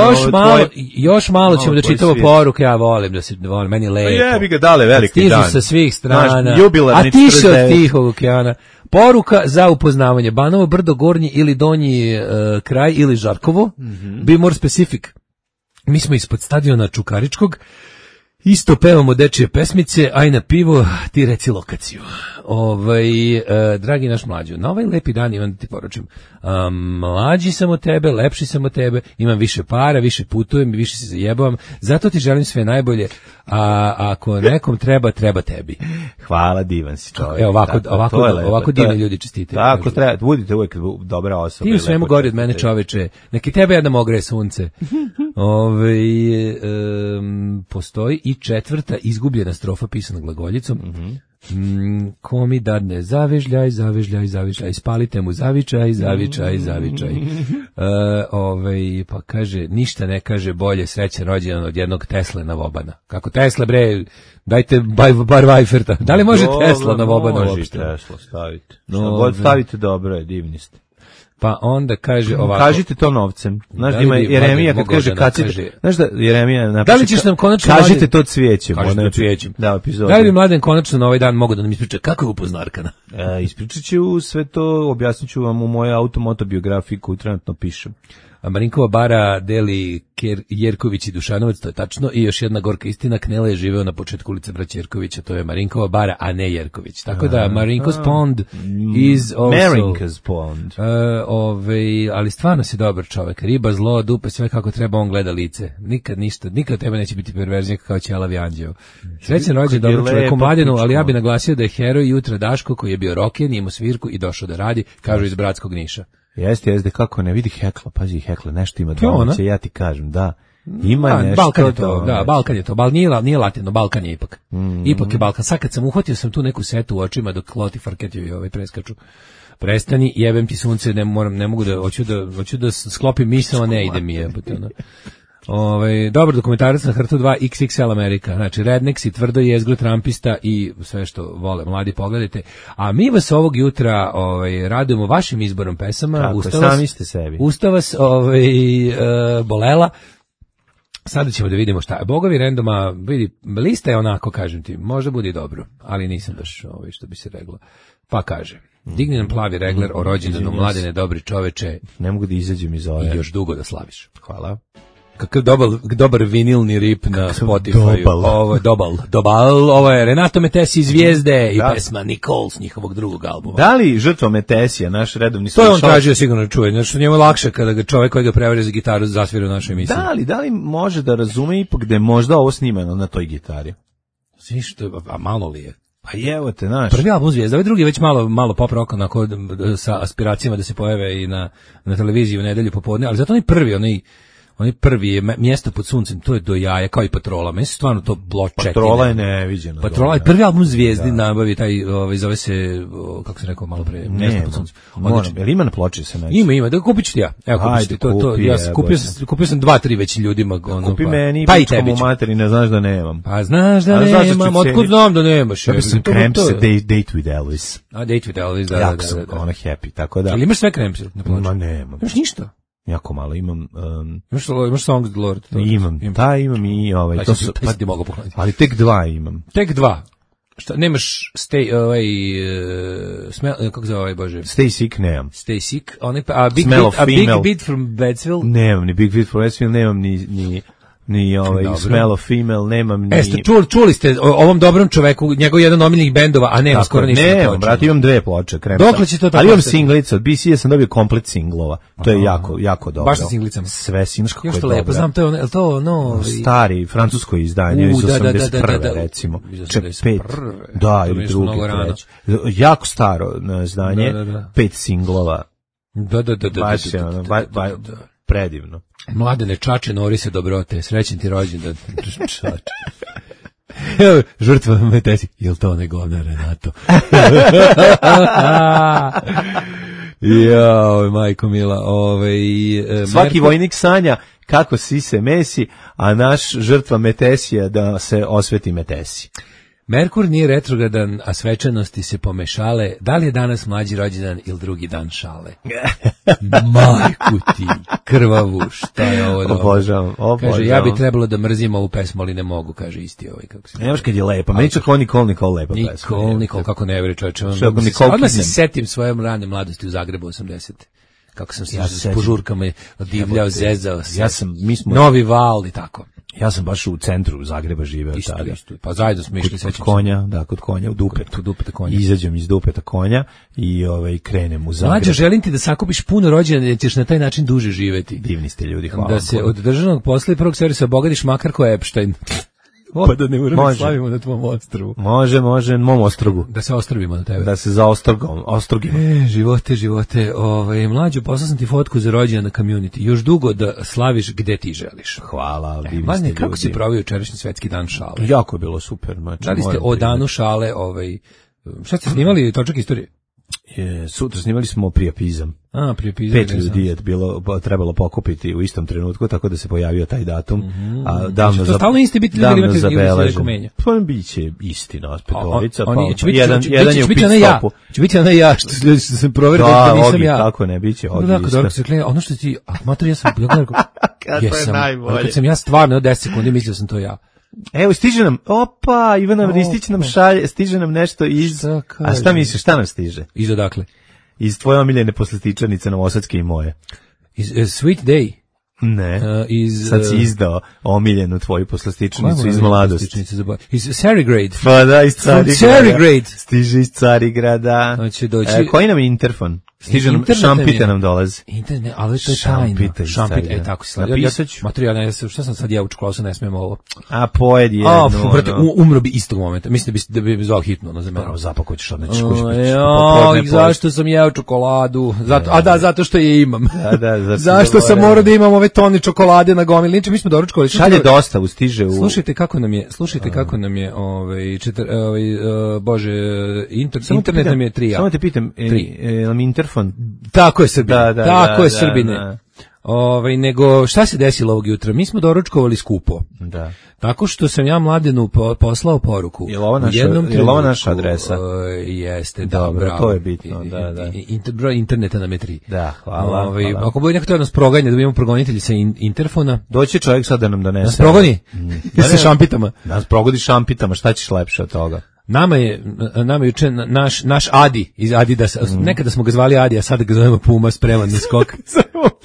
Još malo ćemo da čitamo poruke, ja volim da se, meni je lepo. Jebi ga, dale veliki dan. Stižu sa svih strana, a ti si od Tihog okeana. Poruka za upoznavanje. Banovo brdo, gornji ili donji kraj ili Žarkovo. Be more specific. Mi smo ispod stadiona Čukaričkog Isto pevamo dečije pesmice, aj na pivo, ti reci lokaciju. Dragi naš mlađo, na ovaj lepi dan imam da ti poručim. Mlađi sam od tebe, lepši sam od tebe, imam više para, više putujem i više se zajebavam, zato ti želim sve najbolje, a ako nekom treba tebi. Hvala, divan si čovjek. Evo, ovako divni ljudi čestite. Tako treba, budite uvijek dobra osoba. Ti u svemu gori od mene, čoveče, neki tebe jednom ogreje sunce. Postoji i 4. izgubljena strofa pisana glagoljicom. Ko mi dadne zavižljaj, spalite mu zavičaj. Pa kaže, ništa ne kaže bolje srećan rođendan od jednog Tesle na Vobana. Kako Tesla, bre, dajte bar Vajferta. Da li može Tesla na Vobana uopšte? Može Tesla staviti. God stavite, dobro je, divni ste. Pa onda kaže ovako. Kažite to novcem. Znaš da ima Jeremija kad kaže kacite. Znaš da Jeremija napiše. Da li ćeš nam konačno kažite to cvijećem. Kažite to cvijećem. Da, epizod. Da li bi Mladen konačno na ovaj dan mogao da nam ispriča kako je upoznao Arkana? Ispričat ću sve to, objasnit ću vam u mojoj automotobiografiji koju trenutno pišem. Marinkova bara deli Jerković i Dušanovac, to je tačno, i još jedna gorka istina, Knela je živeo na početku ulice Braća Jerkovića, to je Marinkova bara, a ne Jerković. Tako da Marinko's Pond is also... Marinko's Pond. Ali stvarno si dobar čovjek, riba, zlo, dupe, sve kako treba, on gleda lice. Nikad ništa, nikad tebe neće biti perverznik kao Ćelavi anđeo. Srećan rođendan dobro čovjeku Mladenu, ali ja bi naglasio da je heroj jutra Daško koji je bio roken, imao svirku i došao da radi, kažu iz Bratskog Niša. Jeste, kako ne vidi Hekla, pazi Hekla, nešto ima domaće, ja ti kažem, da. Ima nešto. Balkan je to, da, Balkan je to, nije latino, Balkan je ipak. Ipak je Balkan. Sad kad sam uhvatio sam tu neku setu u očima dok Loti Farketjevi preskaču. Prestani, jebem ti sunce, ne mogu da, hoću da sklopim misao, ne ide mi je. Dobar dokumentarac na Hrtu 2 XXL Amerika, znači redneksi, tvrdo jezgro, trampista i sve što vole mladi, pogledajte. A mi vas ovog jutra radujemo vašim izborom pesama. Tako, sami ste sebi. Usta vas bolela. Sada ćemo da vidimo šta je. Bogovi randoma, vidi, lista je onako, kažem ti, možda bude dobro, ali nisam baš što bi se reglo. Pa kaže, digni nam plavi regler o rođendanu Mladene, dobri čoveče. Ne mogu da izađem iz ove. I još dugo da slaviš. Hvala. Kakav dobar vinilni rip na Spotify. Ovo je Renato Metesi iz Zvijezde i pesma Nicole s njihovog drugog albuma. Da li žrtva Metesija, naš redovni slušalac? To je on tražio sigurno čuje. Znači, njemu je lakše kada ga čovjek koji ga prevari za gitaru zasvira u našoj emisiji. Da li može da razume ipak da je možda ovo snimano na toj gitari? Što, a malo li je? Pa evo te, znaš. Prvi album Zvijezda, ovaj drugi je već malo pop rock, onako sa aspiracijama da se pojave i na televiziji u nedelju popodne, ali zato onaj prvi je Mjesto pod suncem, to je do jaja, kao i Patrola. Meni se stvarno to pločetine. Patrola je neviđena. Patrola je prvi album Zvijezdi, nabavi taj, zove se, kako se rekao malo pre, Mjesto pod suncem. Jel ima na ploči se naći? Ima, da kupit ću ti ja. Evo, kupit ću ti. Kupio sam 2-3 već ljudima. Kupi meni, pičkom u materi, ne znaš da nemam. Pa znaš da nemam, otkud znam da nemaš. Kupio sam Krempse, Date with Elvis. Date with Elvis, da. Jako sam ono happy, tako da. Ali imaš sve Krempse na ploči? Ma nemam. Imaš ništa? Jako malo imam. Imaš Songs of the Lord? Imam i to su. Pa ti mogu pokloniti. Ali tek 2 imam. Tek 2. Šta, nemaš kako se zove Bože? Stay Sick nemam. Stay Sick, Big Beat from Bedsville? Nemam, ni Big Beat from Bedsville, nemam ni Smell of Female, nemam ni... Čuli ste o ovom dobrom čoveku, njegov jedan omiljenih bendova, a nema skoro ništa. Nemam, brate, imam 2 ploče, Kremsa. Dokle će to tako? Ali imam singlica, od BC-a sam dobio komplet singlova. To je jako dobro. Baš sa singlicama? Sve singlica kako je dobro. Još to lepo, znam, to je to, stari, francusko izdanje, iz 81. recimo. Ček, 5. Da, ili drugi, treći. Jako staro izdanje, 5 singlova. Da. Predivno. Mladene Čače, Norise dobrote, srećen ti rođendan. Čače. Evo, žrtva Metesi. Jel to ne govna Renato? Jao, majko mila. Svaki vojnik sanja kako se mesi, a naš žrtva Metesija da se osveti Metesi. Merkur nije retrogradan, a svečanosti se pomešale. Da li je danas mlađi rođendan ili drugi dan šale? Majku ti, krvavu, šta je ovo dobro? Obožavam. Kaže, ja bi trebalo da mrzim ovu pesmu, ali ne mogu, kaže isti kako se... Nemaš kad je lepa, meni čak Nikol lepa pesma. Nikol, kako ne veri čovječe. Odmah se setim svoje rane mladosti u Zagrebu 80. kako sam se s požurkama divljao, zezao se. Novi val i tako. Ja sam baš u centru Zagreba živeo tada. Isto. Pa zajedno smo išli kod konja, kod konja u Dupetu. Kod Dupeta konja. Izađem iz Dupeta konja i krenem u Zagreb. Mlađo, želim ti da sakupiš puno rođena, jer ćeš na taj način duže živeti. Divni ste ljudi, hvala. Da se od državnog posla i prvog servisa obogadiš makar ko Epstein. Pa da ne moramo slavimo na tvom ostrvu. Može, na mom ostrvu. Da se ostrvimo na tebe. Da se za ostrogimo. Živote. Mlađo, poslao sam ti fotku za rođendan na community. Još dugo da slaviš gde ti želiš. Hvala, divni ste ljudi. Kako si proveo jučerašnji svetski dan šale? Jako je bilo super. Da li ste o danu šale, šta ste snimali, točak istorije? Sutra snimali smo priapizam. Priapizam. 5 ljudi je trebalo pokupiti u istom trenutku, tako da se pojavio taj datum. A davno to stalno isti biti ljudi imate zabeležen. Pa biće isti nas petorica, jedan je u pit stopu. Će biti onaj ja što sam proverio da nisam ja. Tako ne biće. Ono što ti, mater, ja sam kad sam ja stvarno 10 sekundi mislio sam to ja. Evo, stiže nam, Ivana Vristić nam šalje, stiže nam nešto iz... A šta misliš, šta nam stiže? Iz odakle? Iz tvoje omiljene poslastičarnice Novosadske i moje. Iz Sweet Day? Ne, sad si izdao omiljenu tvoju poslastičnicu iz mladosti. Iz Carigrade. Pa da, iz Carigrade. Stiže iz Carigrada. Hoće doći. Koji nam je interfon? Stiže nam, šampite nam dolazi. Internet, ali to je tajno. Šampite, tako si slavio. Materijal, šta sam sad ja u čokolasu, ne smijem ovo. A pojed je. Brate, umro bi istog momenta. Mislim da bi zvao hitno na zemlju. Zapako ćeš odneći. Zašto sam jeo čokoladu? Zato što je imam. Zašto sam morao da imam ove toni čokolade na gomili? Mi smo doručkovali. Šalje dostavu, stiže u... Slušajte kako nam je, bože, internet nam je 3. Samo te pitam, nam interfon. Tako je Srbine. Tako je Srbine. Nego šta se desilo ovog jutra? Mi smo doručkovali skupo. Da. Tako što sam ja Mladenu poslao poruku. Je li ovo naša adresa? Jeste, dobro, bravo. To je bitno, da. Broj interneta nam je 3. Da, hvala. Ako bude neko to nas proganja, da imamo progonitelji sa interfona. Doći čovjek sad da nam donese. Nas progoni? Sa šampitama. Nas progodi šampitama, šta ćeš lepše od toga? Nama je juče naš Adi iz Adidasa, nekada smo ga zvali Adi, a sada ga zovemo Puma, spreman na skok.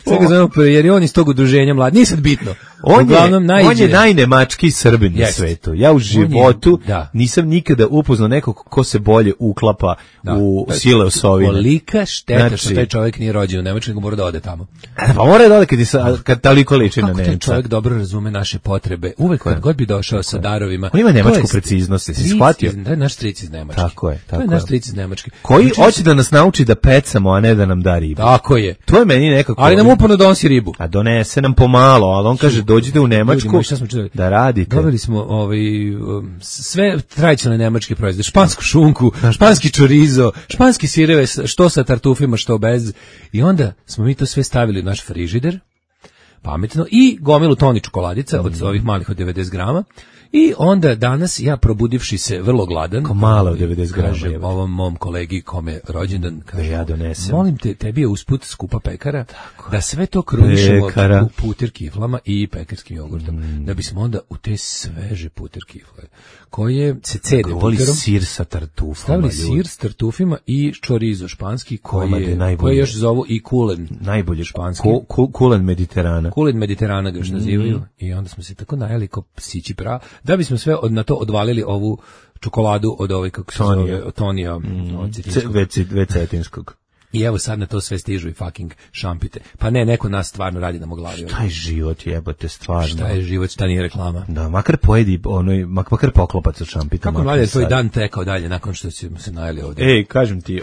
Sada ga zovemo, jer je on iz tog udruženja mlad, nije sad bitno. On je najnemački Srbin na svetu. Ja u životu nisam nikada upoznao nekog ko se bolje uklapa u sile osovine. Kolika šteta što taj čovjek nije rođen u Nemačkoj, nego mora da ode tamo. Pa mora da ode kad toliko liči na Nemca. Kako taj čovjek dobro razume naše potrebe. Uvek kad god bi došao sa darovima. On ima nemačku preciznost, si shvatio? To je naš stric iz Nemačke. Tako je. To je naš stric iz Nemačke. Koji hoće da nas nauči da pecamo, a ne da nam da ribu. Tako je. To je meni nekako... Ali nam uporno donosi ribu. A donese nam pomalo, ali on kaže dođite u Nemačku da radite. Dobili smo sve tradicionalne nemačke proizvode, špansku šunku, španski čorizo, španski sireve, što sa tartufima, što bez. I onda smo mi to sve stavili u naš frižider, pametno, i gomilu toni čokoladica od ovih malih od 90 grama. I onda danas ja probudivši se vrlo gladan, malo od 90 grama, kažem ovom mom kolegi kome rođendan, kaže, ja donesem. Molim te, tebi je usput skupa pekara, da sve to krunišemo u puter kiflama i pekarskim jogurtom, da bismo onda u te sveže puter kifle, koje se cede puterom, sir sa tartufama, stavili sir s tartufima i čorizo španski, koje još zovu i kulen, najbolje španski, kulen Mediterana. Kulen Mediterana ga još nazivaju. I onda smo se tako najeli ko psići pra, da bismo sve na to odvalili ovu čokoladu od ove, kako se zove, Tonija, Cetinskog. I evo sad na to sve stižu i fucking šampite. Pa ne, neko nas stvarno radi na moglavi. Šta je život, jebote, stvarno. Šta je život, šta nije reklama. Da, makar pojedi, makar poklopac od šampita. Kako mlade je tvoj dan tekao dalje nakon što smo se najeli ovdje? Kažem ti,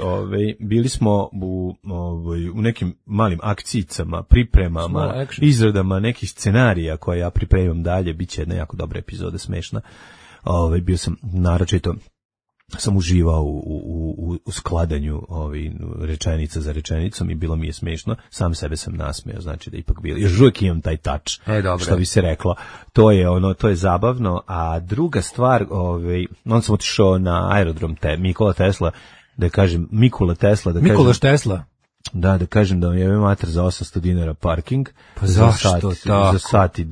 bili smo u nekim malim akcijicama, pripremama, izradama nekih scenarija koje ja pripremam dalje, bit će jedna jako dobra epizoda, smešna. Bio sam naročito, sam uživao u skladanju rečenica za rečenicom i bilo mi je smešno, sam sebe sam nasmejao, znači da ipak bilo, još uvijek imam taj touch, što bi se reklo, to je zabavno. A druga stvar, on sam otišao na aerodrom Nikola Tesla, da kažem Mikula Tesla, Mikulaš Tesla. Da kažem da vam jebe mater za 800 dinara parking. Pa zašto tako? Za sat i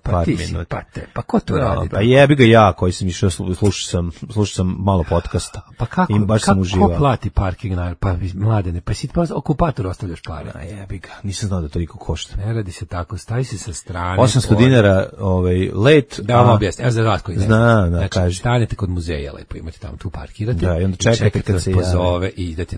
par minuta. Pa ko to radi? Pa jebi ga ja koji sam išao, slušao sam malo podcasta. Pa kako? Baš sam uživao. Ko plati parking na pa Mladene? Pa si ti okupator ostavljaš pare. A jebi ga, nisam znao da toliko košta. Ne radi se tako, stavi se sa strane. 800 dinara let. Da vam objasnim, evo za vas koji ne znam. Znači, stanete kod muzeja, lepo imate tamo, tu parkirate. Da, i onda čekate kad se pozove i idete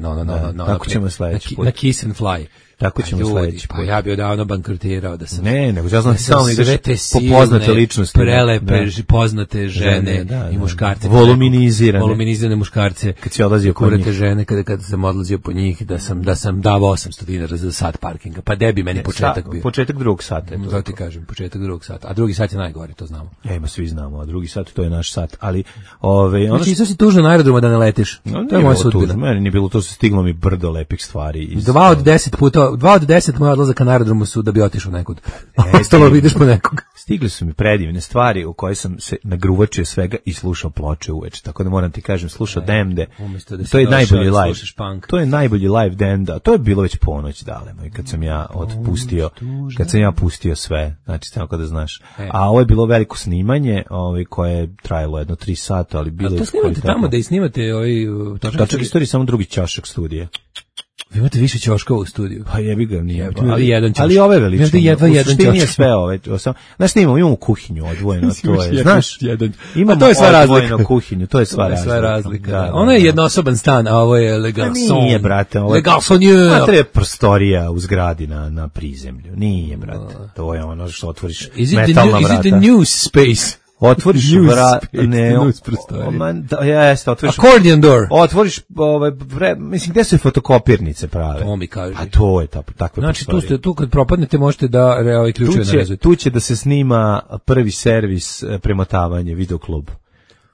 tako ćemo sledeći put. Na Kiss and Fly. Tako ćemo sledeći put. Pa ja bi odavno bankrotirao da sam... Ne, nego ja znam samo ideš po poznate ličnosti. Prelepe, poznate žene i muškarce. Voluminizirane muškarce. Kad si odlazio po njih. Žene, kada sam odlazio po njih, da sam dao 800 dinara za sat parkinga. Pa debi meni početak bio. Početak drugog sata. To ti kažem, početak drugog sata. A drugi sat je najgori, to znamo. Ima svi znamo, a drugi sat to je naš sat. Ali, znači, isto si tužno na aerodromu da ne letiš. To je moja sudbina. Meni nije bilo, to se stiglo mi brdo lepih stvari. 2 od 10 moja odlazaka na aerodromu su da bi otišao nekud. Ostalo vidiš po nekog. Stigli su mi predivne stvari u koje sam se nagruvačio svega i slušao ploče uveče. Tako da moram ti kažem, slušao Demde. To je najbolji live. To je najbolji live Demda. To je bilo već ponoć, dale moj, kad sam ja pustio sve. Znači, tako da znaš. A ovo je bilo veliko snimanje, koje je trajalo jedno 3 sata, ali bilo je... To snimate tamo da i snimate Točak istorije, samo drugi ćošak studija. Vi imate više ćoškova u studiju. Pa jebi ga, nije. Ali ove veličine. Jedva jedan ćošak. Nije sve ove. Znaš, imamo kuhinju odvojeno, to je. Znaš, imamo to je sva odvojeno kuhinju, to je sva razlika. Ono je jednosoban stan, a ovo je legal son. Nije, brate. Legal sonjeur. A treba prostorija u zgradi na prizemlju. Nije, brate. To je ono što otvoriš metalna vrata. Is it the news space? Otvoriš vrat, ne, jeste, otvoriš accordion door. Otvoriš, mislim, gde su fotokopirnice prave? To mi kaže. A to je takve znači, tu kad propadnete možete da ključeve narezujete. Tu će da se snima prvi servis premotavanje, videoklub.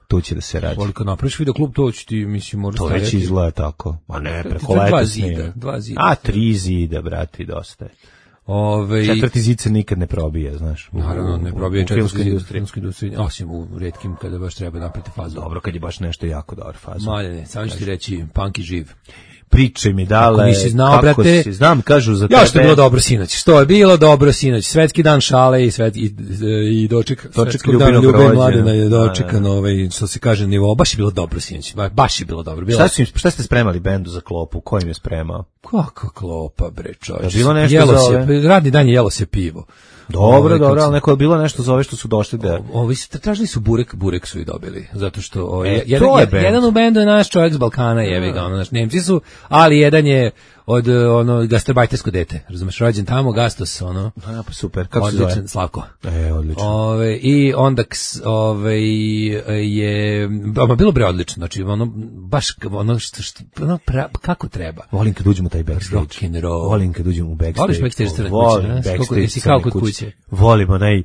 Tu će da se radi. Kad napraviš videoklub, to će ti, mislim, možda staviti. To već izgleda tako. A ne, preko leta snima. 2 zida. A 3 zida, brati, dosta je. 4. zid se nikad ne probije, znaš. Naravno, ne probije 4. filmskoj industriji, osim u retkim kada baš treba napraviti fazu. Dobro, kad je baš nešto jako dobar fazu. Maljene, samo ću ti reći, punk i živ. Pričaj mi dale, nisi znao, kako brate, si, znam, kažu za tebe. Ja što je bilo dobro sinoć, svetski dan šale i doček svetskog dana ljube Mladena je dočekan, što se kaže nivo, baš je bilo dobro sinoć, baš je bilo dobro. Šta ste spremali bendu za klopu, ko im je spremao? Kakva klopa, bre, čovječ. Bilo nešto za ove? Radni dan jelo se pivo. Dobro, ali neko je bilo nešto za ove što su došli da... Ovi tražili su burek su i dobili, zato što jedan u bendu je naš čovjek s Balkana, jevi ga, naš Nemci su, ali jedan je od gastarbajtersko dete, razumeš, rođen tamo, Gastos, pa super, kako se zove? Odličan, Slavko. Odlično. I onda je, bilo bre odlično, znači, baš, kako treba. Volim kad uđemo u taj backstage. Rock and roll. Volim kad uđemo u backstage. Voliš backstage crne kuće? Volim backstage crne kuće. Volim onaj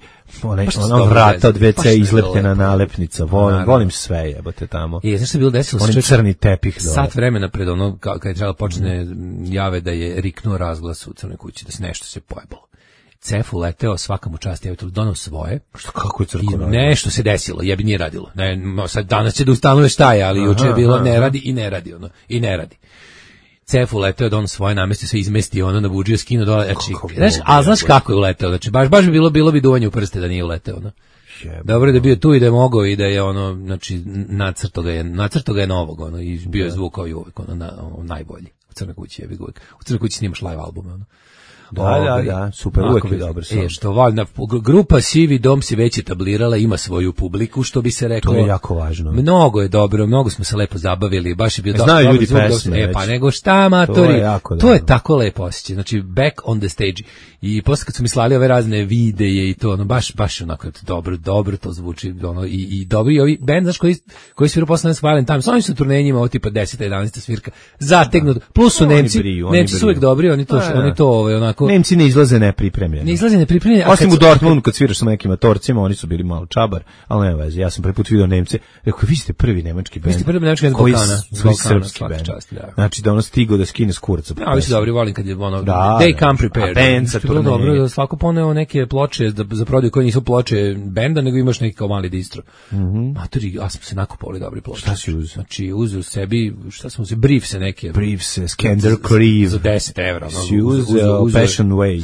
vrata od WC izlepljena nalepnica, volim sve, jebote tamo. Znaš što je bilo desilo? Volim crni tepih. Sat vremena pred kad je trebalo počne jave da je riknuo razglas u crnoj kući, da se nešto se pojebalo. Cef uleteo, svaka mu čast, donao svoje. Što, kako je crko radio? Nešto se desilo, jebi nije radilo. Sad danas će da ustanove šta je, ali juče je bilo ne radi i ne radi. Cef uleteo, donao svoje, namestio se, izmestio nabuđio, skinuo dole. Znaš kako je uleteo? Znači, baš bi bilo bi duvanje u prste da nije uleteo. Dobro je da je bio tu i da je mogao i da je znači, nacrto ga je novog, i bio je zvuk kao i uvek, najbolji. U Crnoj kući je uvek. U Crnoj kući snimaš live albume, Da, super, uvek je dobar sam. Što valjda, grupa Sivi dom se već etablirala, ima svoju publiku, što bi se reklo. To je jako važno. Mnogo je dobro, mnogo smo se lepo zabavili, baš je bio dobro. Znaju ljudi pesme. Pa nego šta, matori, to je tako lepo osjećaj, znači back on the stage. I posle kad su mi slali ove razne videe i to, baš onako dobro to zvuči, i dobri ovi band, znaš, koji sviru posle nas Valentine, s ovim su turnenjima, ovo tipa 10. 11. svirka, zategnut, plus su Nemci su uvek dobri, oni to onako... Nemci ne izlaze nepripremljeni. Ne izlaze nepripremljeni. Osim u Dortmundu kad sviraš sa nekim matorcima, oni su bili malo čabar, ali nema veze. Ja sam prvi put vidio Nemce. Rekao, vi ste prvi nemački bend. Vi ste prvi nemački bend koji svoj srpski bend. Znači da ono stigo da skine s kurca. Ja, vi su dobri, volim kad je ono, they come prepared. Band sa turneje. Dobro, da svako poneo neke ploče za prodaju koje nisu ploče benda, nego imaš neki kao mali distro. Matori, ja sam se nakupovali dobri ploče. Šta si uzeo? Znači, uzeo sebi, šta sam uzeo, briefse neke. Briefse, Skander Creeve. Za 10 evra. Si uzeo Passion Way.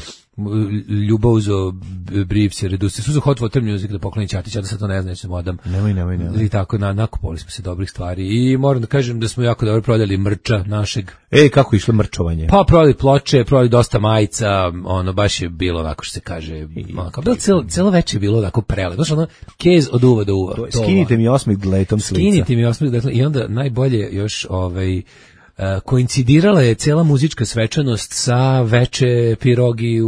Ljubav uzeo briefse, reduce. Su uzeo Hot Water Music da pokloni Ćatić, ja da sad to ne znam, ćemo odam. Nemoj. I tako, nakupovali smo se dobrih stvari. I moram da kažem da smo jako dobro prodali mrča našeg. Kako je išlo mrčovanje? Pa prodali ploče, prodali dosta majica, ono baš je bilo onako što se kaže, onako, celo veče je bilo onako prele. Znaš, ono, kez od uva do uva. Skinite mi osmih dletom slica. Skinite mi osmih dletom i onda najbolje još koincidirala je cela muzička svečanost sa veče pirogi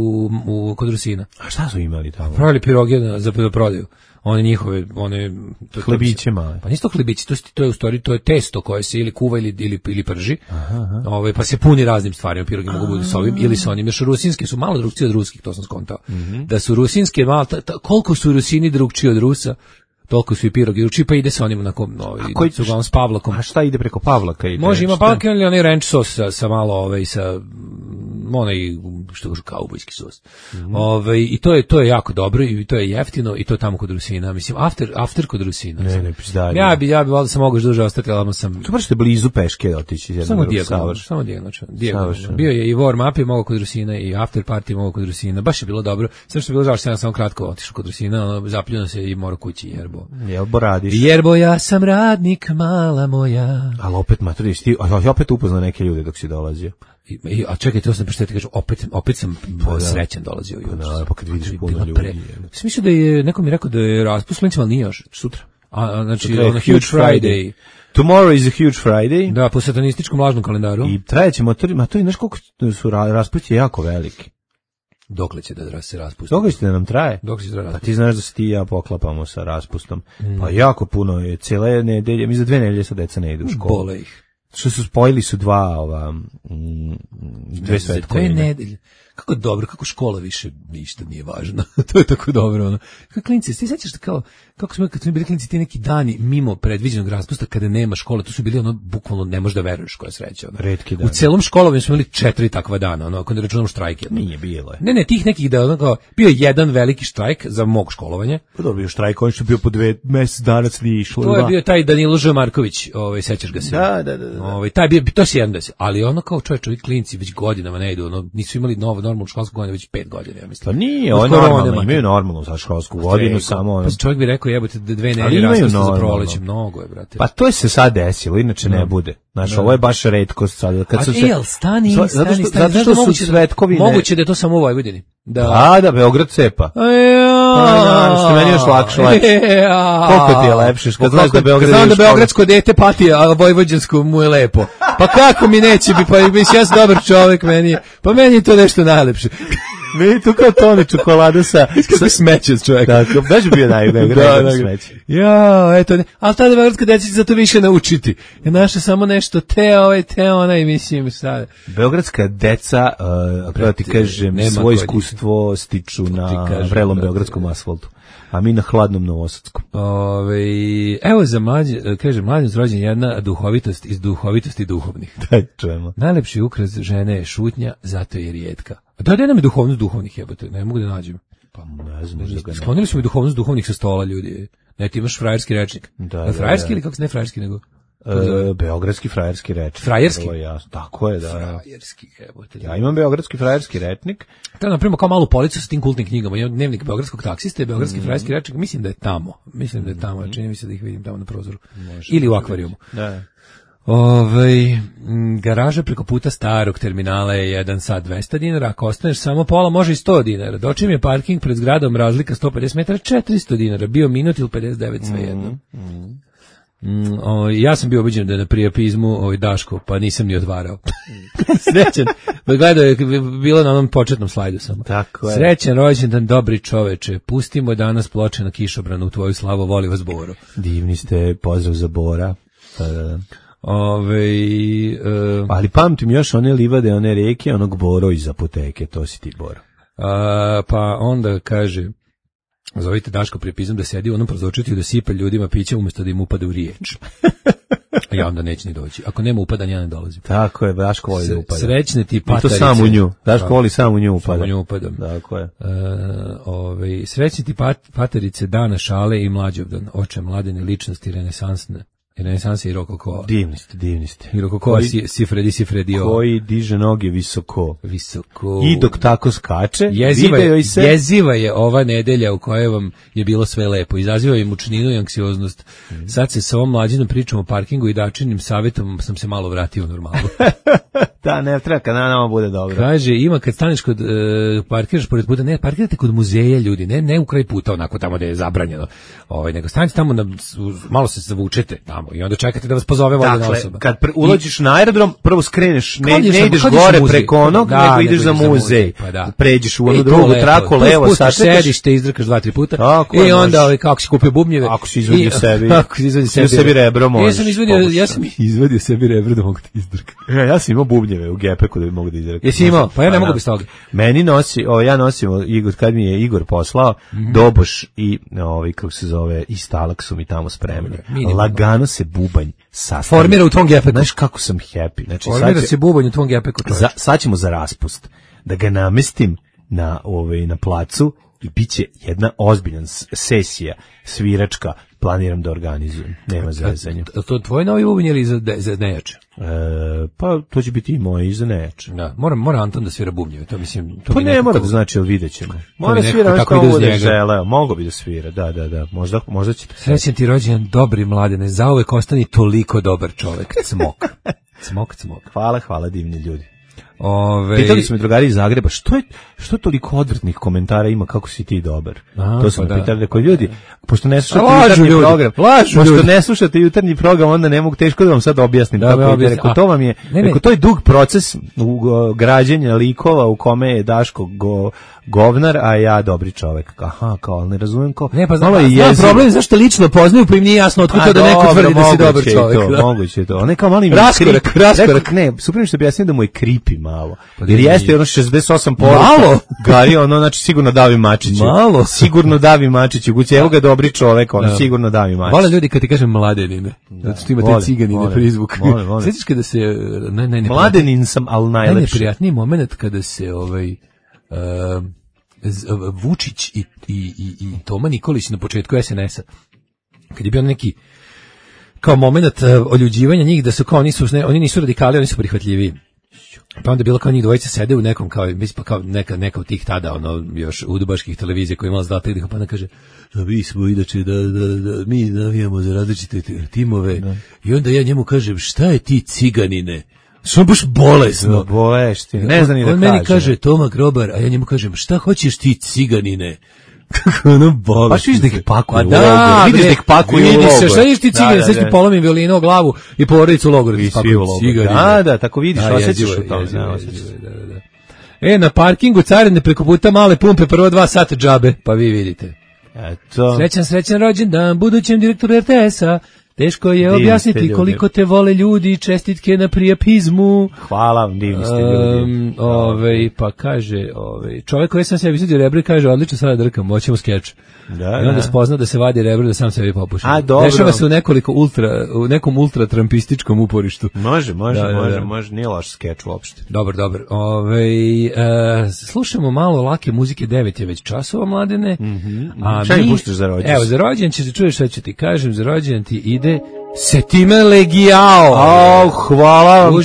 kod Rusina. A šta su imali tamo? Pravili piroge za prodaju. One njihove, hlebiće male. Pa nisu to hlebići, to je u stvari, to je testo koje se ili kuva ili prži. Pa se puni raznim stvarima, pirogi mogu biti sa ovim ili sa onim. Još rusinske su malo drugčije od ruskih, to sam skontao. Da su rusinske malo, koliko su Rusini drugčiji od Rusa, toliko su i pirogi drugčiji, pa ide sa onim s Pavlakom. A šta ide preko Pavlaka? Može, ima Pavlaka ili onaj ranch sos sa malo, sa onaj, što kažu, kaubojski sos. I to je jako dobro i to je jeftino i to je tamo kod Rusina. Mislim, after kod Rusina. Ne, pizdari. Ja bi valjda sam mogao duže ostati, ali sam... To baš ste blizu peške otići. Samo dijagonalno. Bio je i warm up je mogao kod Rusina i after party mogao kod Rusina. Baš je bilo dobro. Sve što je bilo žao što sam samo kratko otišao kod Rusina, zapljeno se i mora kući Jerbo radiš. Jerbo, ja sam radnik, mala moja. Ali opet, maturiš, ti opet upoznao neke ljude dok si dolazio. A čekaj, to sam prešteti, kažem, opet sam srećan dolazio. Pa kad vidiš puno ljudi. Mislim da je, neko mi rekao da je raspust, ali nije još, sutra. Znači, Huge Friday. Tomorrow is a Huge Friday. Da, po satanističkom lažnom kalendaru. I trajeće matori, znaš koliko su raspusti jako veliki. Dokle će da se raspusti? Dokle će da nam traje? Pa ti znaš da se ti i ja poklapamo sa raspustom. Pa jako puno je, cijele nedelje, mi za 2 nedelje sa deca ne idu u školu. Bole ih. Što su spojili su dve svetkovine. 2 nedelje. Kako dobro, kako škola više ništa nije važno. To je tako dobro, ono. Kako klinci, ti sećaš kako smo, kad smo bili klinci, ti neki dani mimo predviđenog raspusta kada nema škole, to su bili ono, bukvalno ne možeš da veruješ koja sreća. Ono. Retki dan. U celom školovanju smo imali 4 takva dana, ono, ako ne računamo štrajke. Nije bilo je. Ne, tih nekih da, ono, bio je jedan veliki štrajk za mog školovanja. Pa dobro, bio štrajk, on što bio po 2 mjesec dana nije išlo. To je bio taj Danilo Ž. Marković, sećaš ga se. Da. Taj bio, to si jedan da se, ali ono kao čovječ, klinci već godinama ne idu, ono, nisu imali normalnu školsku godinu već 5 godina, ja mislim. Pa nije, oni normalno imaju normalnu za školsku godinu, samo... Pa čovjek bi rekao, jebote, 2 nedelje raspusta za proleće, mnogo je, brate. Pa to je se sad desilo, inače ne bude. Znaš, ovo je baš retkost sad. Stani. Zato što su svetkovine... Moguće da je to samo u Vojvodini. Da, Beograd cepa. Što meni još lakše. Koliko ti je lepše? Kad znaš da Beograd... Znam da beogradsko dete pati, a vojvođansko mu je lepo. Pa kako mi neće bi, pa ja sam dobar čovjek, pa meni je to nešto najlepše. Meni tu kao tone čokolada sa smeće čovjek. Tako, baš bi bio najbolji smeće. Ja, eto, ali tada beogradska deca će za to više naučiti. Ja naša samo nešto te onaj, mislim, sad. Beogradska deca, kako ti kažem, svoje iskustvo stiču na vrelom beogradskom asfaltu. A mi na hladnom novosadskom. Evo za mlađe zrođen jedna duhovitost iz duhovitosti duhovnih. Daj, čujemo. Najlepši ukras žene je šutnja, zato je rijetka. Da nam je duhovnost duhovnih, jebote, ne mogu da nađem. Pa ne znam. Sklonili smo i duhovnost duhovnih sa stola, ljudi. Ne, ti imaš frajerski rečnik. Frajerski ili kako se ne frajerski nego? Beogradski frajerski rečnik. Frajerski? Tako je, da. Frajerski, jebote. Ja imam beogradski frajerski rečnik. To je napravimo kao malu policu sa tim kultnim knjigama. Imam dnevnik beogradskog taksiste i beogradski frajerski rečnik. Mislim da je tamo. Čini mi se da ih vidim tamo na prozoru. Ili u akvarijumu. Da. Garaža preko puta starog terminala je 1 sat 200 dinara, ako ostaneš samo pola može i 100 dinara. Dočim je parking pred zgradom razlika 150 metara 400 dinara, bio minut ili 59 svejedno. Ja sam bio obiđen da je na prijapizmu Daško, pa nisam ni otvarao. Srećan, gledao je bilo na onom početnom slajdu samo. Tako je. Srećan rođendan, dobri čoveče, pustimo danas ploče na kišobranu u tvoju slavu, voli vas Boro. Divni ste, pozdrav za Bora. Ali pamtim još one livade, one reke, onog Boro iz apoteke, to si ti Boro. Pa onda kaže, zovite Daško prepizam da sedi u onom prozorčetiju da sipa ljudima piće umjesto da im upade u riječ. A ja onda neće ni doći. Ako nema upadanja, ja ne dolazim. Tako je, Daško voli da upada. Srećne ti patarice. I to sam u nju. Daško voli sam u nju upada. Sam u nju upadam. Tako je. Srećne ti patarice dana šale i mlađovdan. Oče mladene ličnosti renesanse i rokoko. Divni ste. I rokoko Sifredi. Koji diže noge visoko. Visoko. I dok tako skače, jeziva je ova nedelja u kojoj vam je bilo sve lepo. Izaziva je mučninu i anksioznost. Sad se sa ovom mlađinom pričom o parkingu i dačinim savjetom sam se malo vratio u normalu. Da, ne treba kad nama bude dobro. Kaže, ima kad staneš kod parkiraš pored puta, ne, parkirate kod muzeja ljudi, ne u kraj puta, onako tamo gde je zabranjeno. Nego stanite tamo malo se zavučete tamo i onda čekate da vas pozove voljena osoba. Kad ulođiš na aerodrom, prvo skreneš, ne ideš gore preko onog, nego ideš za muzej. Pređeš u onu drugu traku, levo, spustiš sedište, izdrkaš 2-3 puta i onda kako si kupio bubnjeve. Ako si izvadio sebi rebro, možeš. Ja sam izvadio sebi rebro da mogu da izdrkam. Ja sam imao bubnjeve u gepeku da bi mogu da izdrkam. Jesi imao? Pa ja ne mogu bez toga. Meni nosi, ja nosim, kad mi je Igor poslao, Doboš i, kako se zove, i Stalak su mi tamo spremni. Lagano se bubanj sastavlja. Formira u tvom gepeku. Znaš kako sam happy. Znači, formira se bubanj u tvom gepeku. Sad ćemo za raspust. Da ga namestim na placu i bit će jedna ozbiljna sesija sviračka. Planiram da organizujem. Nema zezanja. To tvoj novi bubanj ili za nejače? Pa to će biti i moje i za nejače. Da, mora Anton da svira bubnjeve. To mislim, to pa ne mora da znači, ali vidjet ćemo. Mora svira nešto bude želeo. Mogu bi da svira, da. Možda će to. Srećan ti rođendan, dobri mladene, zauvek ostani toliko dobar čovek. Cmok. Hvala divni ljudi. Pitali su me drugari iz Zagreba, što toliko odvrtnih komentara ima kako si ti dobar? To su me pitali, rekao ljudi, pošto ne slušate jutarnji program, onda ne mogu, teško da vam sad objasnim. Rekao, to vam je, to je dug proces građenja likova u kome je Daško govnar, a ja dobri čovek. Aha, kao, ne razumijem kao. Ne, pa znam problem zašto lično poznaju, pa im nije jasno otkud to da neko tvrdi da si dobar čovek. Moguće to. On je kao mali raskorak. Ne, super što objasnim da mu je creepy malo. Jer jeste ono 68 malo. Gari, znači sigurno Davi Mačić. Malo. Sigurno Davi Mačić. Evo ga dobri čovek, sigurno Davi Mačić. Vole ljudi kad ti kažem mladenine. Zato što ima te ciganine prizvuk. Sjetiš kada se mladenin sam, al najlepši. Najneprijatniji moment kada se Vučić i Toma Nikolić na početku SNS-a, kad je bio neki kao moment oljuđivanja njih, da su kao oni nisu radikali, oni su prihvatljiviji. Pa onda je bilo kao njih dvojica sede u nekom kao neka od tih tada još udbaških televizija koja je imala zlatih diha, pa onda kaže mi smo inače da mi navijamo za različite timove i onda ja njemu kažem šta je ti ciganine? Što baš bolesno. Ne znam ni da kaže. On meni kaže Toma Grobar, a ja njemu kažem šta hoćeš ti ciganine? Kako ono bolesno. Baš vidiš da ih pakuje u logor. Vidiš da ih pakuje u logor. Vidiš se, šta vidiš ti cigane, sad ti polomim violinu o glavu i porodicu u logoru. I svi u logoru. Da, tako vidiš, osjećaš u tom. Na parkingu carine preko puta male pumpe, prvo 2 sata džabe, pa vi vidite. Eto. Srećan rođendan budućem direktoru RTS-a. Teško je objasniti koliko te vole ljudi i čestitke na prijapizmu. Hvala vam, divni ste ljudi. Pa kaže, čovjek koji sam sebi vidio rebro i kaže, odlično sada drkam, moćemo skeč. I onda spozna da se vadi rebro da sam sebi popušim. Dešava se u nekom ultratrampističkom uporištu. Može, nije loš skeč uopšte. Dobar. Slušamo malo lake muzike, 9 je već časova, mladene. Šta mi puštaš za rođendan? Evo, za rođendan će se čuješ šta ću ti kažem, za rođendan ti ide Setime Legiao. Hvala vam.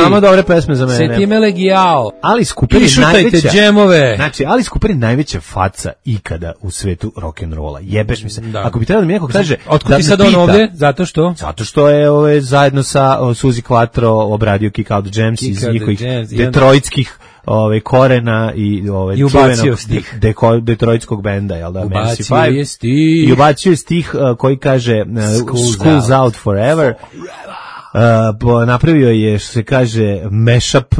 Samo dobre pesme za mene. Setime Legiao. Alice Cooper je najveća džemove. Znači, Alice Cooper je najveća faca ikada u svetu rock'n'rolla. Jebeš mi se. Ako bi trebalo da mi neko kaže otkud ti sad on ovde? Zato što je zajedno sa Suzy Quattro obradio Kick Out the Jams iz njihovih detroitskih korena i čuvenog detroitskog benda, jel da? I ubacio je stih koji kaže School's out forever. Napravio je, što se kaže, mashup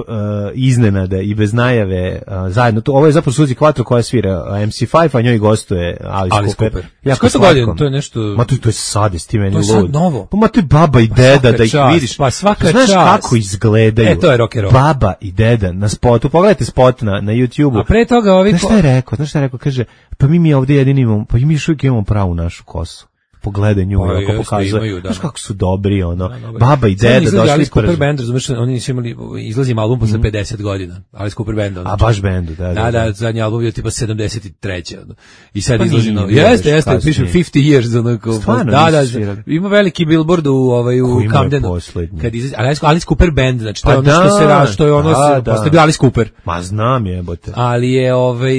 iznenada i bez najave zajedno. Ovo je zapravo Suzi Quattro koja svira MC5, a njoj gostuje Alice Cooper. Jako slatko. To je nešto... Ma to je sad, s ti meni lud. To je sad novo. Pa ma to je baba i deda da ih vidiš. Pa svaka čast. Znaš kako izgledaju? To je rock and roll. Baba i deda na spotu. Pogledajte spot na YouTube-u. A pre toga ovi... Znaš šta je rekao? Kaže, pa mi ovdje jedini imamo, pa mi još uvijek imamo pravu našu kosu. Pogledaj nju, ako pokazuje. Znaš kako su dobri, baba i deda došli iz Cooper Band, razumiješ, oni nisu imali, izlazi album posle 50 godina, Alice Cooper Band. A baš bandu, da. Da, zadnji album je tipa 73. I sad izlazi novi. Jeste, piše 50 years. Stvarno, da, ima veliki billboard u Camdenu. Alice Cooper Band, znači to je ono što se radi, što je ono, posle bio Alice Cooper. Ma znam jebote. Ali je,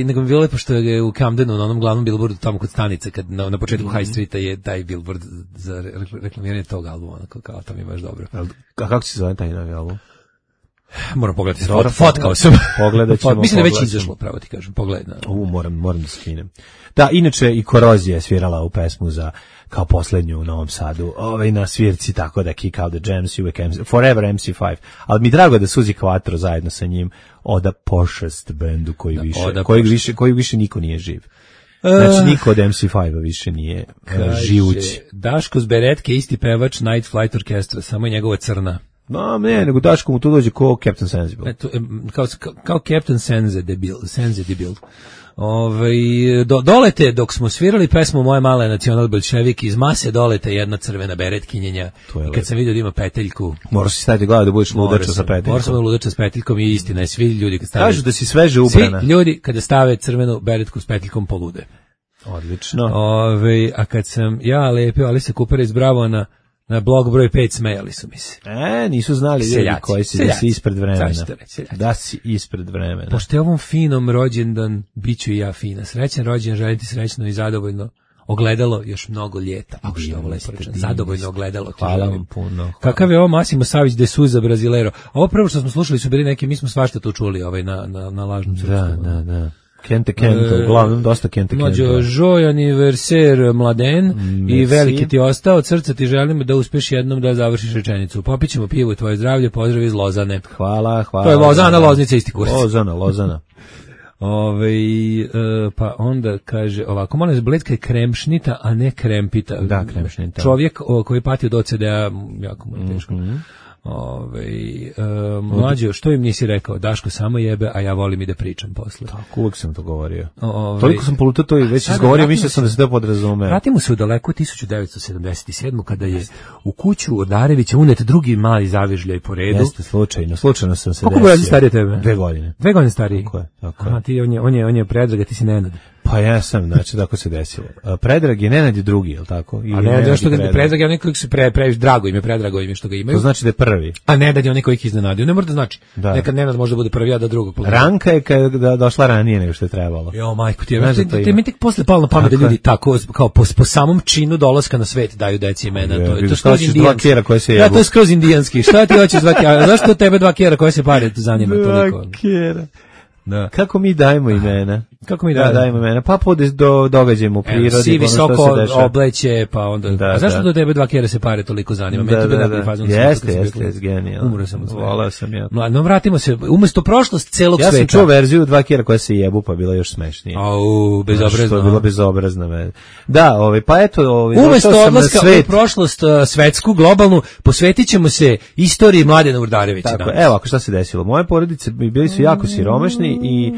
nego mi bilo lepo što je u Camdenu, na onom glavnom billboardu tamo kod stanica, kad na početku High Streeta je taj billboard za reklamiranje tog albuma, kao to mi je baš dobro. A kako se zove taj novi album? Moram pogledati, fotkao sam. Pogledat ćemo. Mislim da već izašlo, pravo ti kažem, pogledaj. Moram da skinem. Da, inače i Korozija je svirala u pesmu za kao poslednju u Novom Sadu, na svirci, tako da Kick Out the Jams, uvek Forever MC5, ali mi drago da Suzi Quattro zajedno sa njim oda pošast bendu koji više niko nije živ. Znači, niko od MC5-a više nije živući. Daško Zberetke, isti pevač Night Flight Orkestra, samo je njegova crna. No, ne, nego Daško mu tu dođe kao Captain Sensible. Kao Captain Sense debil. Dolete, dok smo svirali pesmu Moje male nacional bolševik, iz mase dolete jedna crvena beretkinjenja. I kad sam vidio da ima peteljku... Morao si staviti gleda da budeš ludača sa peteljkom. Morao sam da ludača s peteljkom i istina je, svi ljudi kad stave... Kažu da si sveže ubrana. Svi ljudi kada stave crvenu beretku s peteljkom polude. Odlično. A kad sam ja lepio Alice Coopera iz Bravo na blog broj 5, smejali su mi se. Nisu znali ljudi koji si da si ispred vremena. Da si ispred vremena. Pošto je ovom finom rođendan, bit ću i ja fina. Srećan rođendan, želim ti srećno i zadovoljno ogledalo još mnogo ljeta. Što je ovo lepo rečeno. Zadovoljno ogledalo. Hvala vam puno. Kakav je ovo Massimo Savić de Souza Brasileiro. Ovo prvo što smo slušali su bili neki, mi smo svašta tu čuli na lažnom srpskom. Da. Kente, uglavnom dosta Kente. Mlađo, joy anniversaire Mladen i veliki ti ostao, od srca ti želim da uspeš jednom da završiš rečenicu. Popit ćemo pivo, tvoje zdravlje, pozdrav iz Lozane. Hvala. To je Lozana, Loznica, isti kurs. Lozana. Pa onda kaže ovako, molim se, Bledka je kremšnita, a ne krempita. Da, kremšnita. Čovjek koji pati od OCD-a, jako mu je teško. Mlađo, što im nisi rekao? Daško samo jebe, a ja volim i da pričam posle. Tako, uvijek sam to govorio. Toliko sam polutao to i već izgovorio, mislio sam da se to podrazumeo. Vratimo se u daleko 1977. kada je u kuću Odarevića unet drugi mali zavižljaj po redu. Jeste, slučajno sam se desio. Koliko godina starije tebe? 2 godine. 2 godine stariji? Tako je. Ti, on je Predrag, ti si Nenad. Pa ja sam, znači, tako se desilo. Predrag je Nenad je drugi, je li tako? A ne, zašto Predrag je onaj koji se previš drago ime, Predrago ime što ga imaju. To znači da je prvi. A Nenad je onaj koji ih iznenadio. Ne mora da znači. Da. Nekad Nenad može da bude prvi, a da drugog. Ranka je kada došla ranije nego što je trebalo. Jo, majko, ti mi tek posle palo na pamet da ljudi tako, kao po samom činu dolaska na svet daju deci imena. To je skroz indijanski. Da, to je skroz indijanski. Šta ti hoćeš 2 kjera? Zašto tebe 2 kjera koje se pare zanima toliko? 2 kjera. Da. Kako mi dajemo imena? Dajemo imena? Pa događajmo u prirodi. Si visoko obleće, pa onda... A zašto do tebe 2 kjera se pare toliko zanima? Jeste, genijalno. Umro sam od svega. Volao sam ja. No, vratimo se, umjesto prošlost celog sveta. Ja sam čuo verziju 2 kjera koja se jebu, pa bila još smešnije. Bezobrazno. Što je bilo bezobrazno. Da, pa eto... Umjesto odlaska u prošlost svetsku, globalnu, posvetit ćemo se istoriji Mladena Urdarevića. Tako, evo, ako šta se desilo. Moje porodice bili su jako siromašni i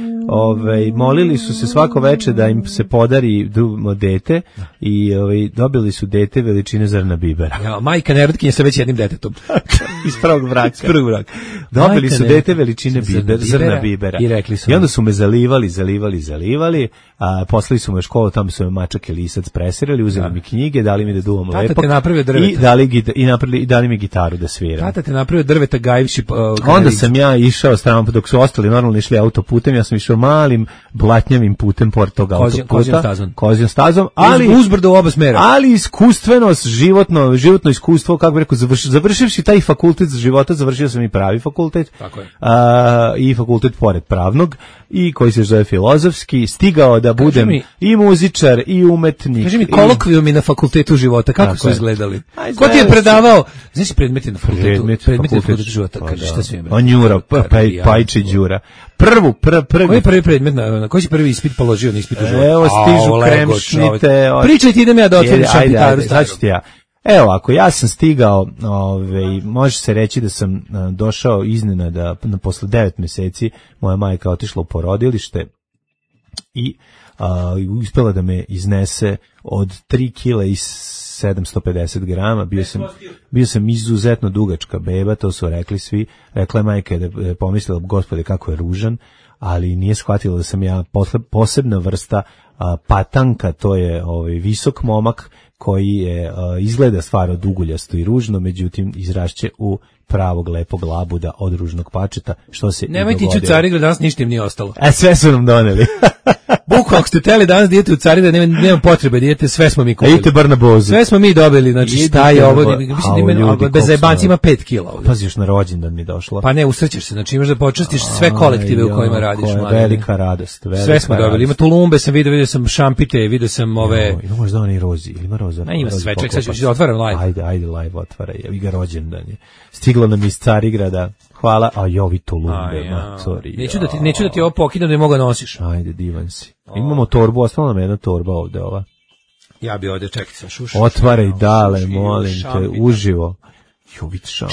molili su se svako veče da im se podari dete i dobili su dete veličine zrna bibera. Ja, majka nerodkinja sa već jednim detetom. Iz prvog braka. Dobili su dete veličine zrna bibera. I onda su me zalivali, a poslali su me u školu, tamo su me mačak i lisac presirali, uzeli mi knjige, dali mi da duvam lepo. Tata te napravio drveta. I dali mi gitaru da sviram. Tata te napravio drveta gajivši. Onda sam ja išao strano, dok su ostali normalno išli autoputom putem, ja sam išao malim blatnjavim putem pored tog autoputa. Kozijom stazom. Ali uzbrdo u oba smera. Ali iskusstvenost, životno iskustvo, kako bih rekao, završivši taj fakultet za života, završio sam i pravi fakultet. Tako je. I fakultet pored pravnog, i koji se zove filozofski, stigao da budem i muzičar i umetnik. Kaži mi, kolokvijumi na fakultetu života, kako su izgledali? Ko ti je predavao? Znaš predmeti na fakultetu? Predmeti na fakultetu života, kaže šta su im? Njura, Pajče Đura. Koji je prvi predmet, koji si prvi ispit položio na ispitu života? Evo, stižu kremšnite. Pričaj ti, idem ja da otvorim šampitaru. Evo, ako ja sam stigao, može se reći da sam došao iznenada, posle 9 meseci, moja majka otišla u porodilište i uspela da me iznese od 3 kila i 750 grama, bio sam izuzetno dugačka beba, to su rekli svi, rekla je majka da je pomislila, gospode kako je ružan, ali nije shvatila da sam ja posebna vrsta patanka, to je visok momak koji je izgleda stvarno duguljasto i ružno, međutim izrašće u pravog lepog labuda od ružnog pačeta, što se nemoj ti ići u Carigrad, danas ništa im nije ostalo. Sve su nam doneli. Bukvalno, ako ste teli danas dijete u Carigrad, nema potrebe dijete, sve smo mi kupili. Idite bar na Bozu. Sve smo mi dobili, znači šta je ovo, bez zajebanci ima 5 kila. Pazi, još na rođendan mi došlo. Pa ne, usrećeš se, znači imaš da počastiš sve kolektive u kojima radiš. Velika radost. Sve smo dobili, ima tulumbe, sam vidio sam šampite, vidio sam ove... Ima možda oni rozi, ili ima roza? Ne, ima sve, ček, sad ću otvaram live. Ajde, live otvaraj, evo ga rođendan je. Stiglo nam iz Carigrada. Hvala, a jovi tulumbe, matori. Neću da ti ovo pokidam da je moga nosiš. Ajde, divan si. Imamo torbu, ostala nam jedna torba ovde ova. Ja bi ovde, čekaj sam šušao. Otvaraj dale, molim te, uživo.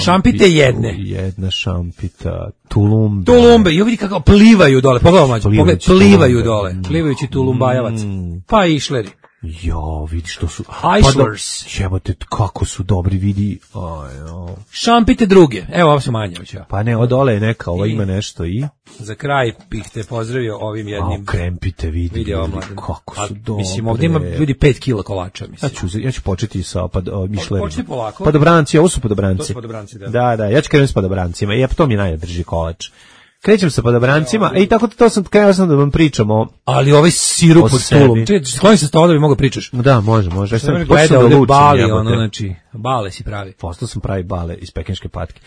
Šampite jedne. Jedna šampita, tulumbe. Tulumbe, jo vidi kako plivaju dole, pogledaj mađo, plivaju dole, plivajući tulumbajavac. Pa i išleri. Jo, vidi što su... Islers. Jebote, kako su dobri, vidi. Šampite druge. Evo, ovo su manje. Pa ne, od ole je neka, ovo ima nešto i... Za kraj bih te pozdravio ovim jednim... krempite, vidi kako su dobre. Mislim, ovdje ima ljudi 5 kila kolača, mislim. Ja ću početi sa mišlerima. Početi polako. Padobranci, ovo su padobranci. To su padobranci, da. Da, ja ću krenuti s padobrancima. I to mi najdrži kolač. Krećem sa padobrancima, i tako krenuo sam da vam pričamo. Ali ovaj sirup od stolom. Skloni se stola da bi mogo pričaš. Da, može. Ja sam gledao ovdje bali, znači, bale si pravi. Postao sam pravi bale iz pekinške patke.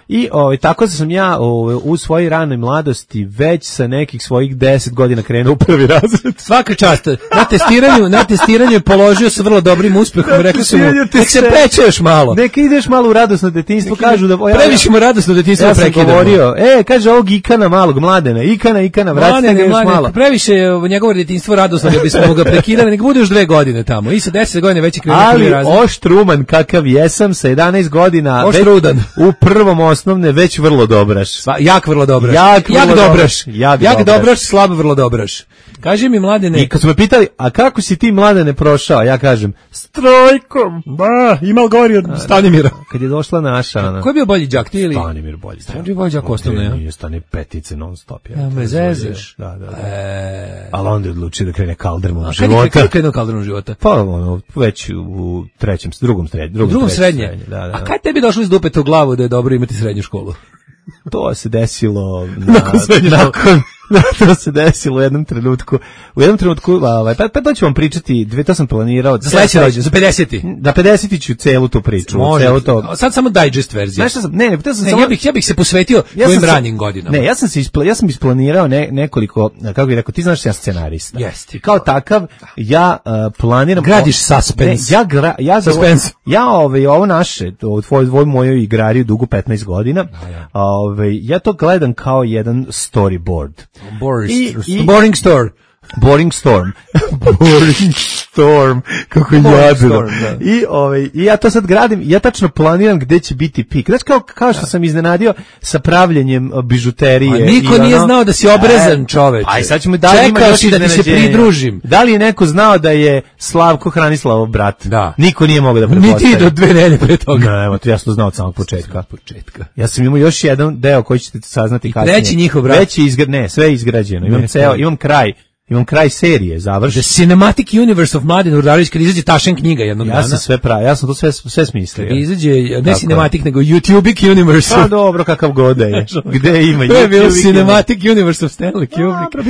I tako sam ja u svojoj ranoj mladosti već sa nekih svojih 10 godina krenuo u prvi razred. Svaka čast. Na testiranju je položio sa vrlo dobrim uspehom. Rekli su mu, nek se peče još malo. Neka ideš malo u radosno detinjstvo. Kažu da previše mu radosno detinjstvo prekidamo. Ja sam govorio, kaže ovog Ikana malog, Mladena, Ikana, vrati ga još malo. Previše njegovo detinjstvo radosno da bismo ga prekidali, nek bude još 2 godine tamo. I sa 10 godina već je krenuo prvi razred. Ali oštruman kakav jesam sa 11 godina. Oštrudan. U prvom osnovne već vrlo dobraš. Jak vrlo dobraš. Jak dobraš, slab vrlo dobraš. Kaži mi, Mladene. I kad su me pitali, a kako si ti, Mladene, prošao? Ja kažem, s trojkom. Imal gori od Stanimira. Kad je došla naša... Ko je bio bolji đak, ti ili? Stanimir bolji. Stanimir bolji đak osnovno, ja? Nije Stane petice non stop. Ja me zezeš. Da. Ali onda je odlučio da krene kaldermom života. Kada je krenuo kaldermom života? Pa već u drugom srednje. A kada tebi došlo iz dupeta u glavu da je dobro imati srednju školu? To se desilo To se desilo u jednom trenutku. Pa to ću vam pričati, to sam planirao. Za sledeći rođendan, za 50. Da 50 ću celu tu priču. Sad samo digest verzija. Ja bih se posvetio tvojim ranijim godinama. Ne, ja sam isplanirao nekoliko, kako bih rekao, ti znaš ja scenarista. Jeste. Kao takav, ja planiram... Gradiš suspense. Suspense. Ja ovo naše, tvoj mojoj igrari dugo 15 godina, ja to gledam kao jedan storyboard. Boring Storm. Boring Storm, kako jadno. I ja to sad gradim, ja tačno planiram gde će biti pik. Znači kao što sam iznenadio sa pravljenjem bižuterije. A niko nije znao da si obrezan čoveče. Aj sad ćemo čekao si da ti se pridružim. Da li je neko znao da je Slavko Hranislavov brat? Da. Niko nije mogao da pretpostavi. Ni ti do 2 nedelje pre toga. Ne, evo, ja sam to znao od samog početka. Ja sam imao još jedan deo koji ćete saznati kasnije. Treći njihov brat. Sve je izgrađeno. Imam kraj imam kraj serije, završen. The Cinematic Universe of Mladen Urdarević, kad izađe Tašen knjiga jednog dana. Ja sam to sve smislio. Kad izađe, ne Cinematic, nego YouTubic Universe. Pa dobro, kakav god da je. Gde ima? To je bilo Cinematic Universe of Stanley Kubrick.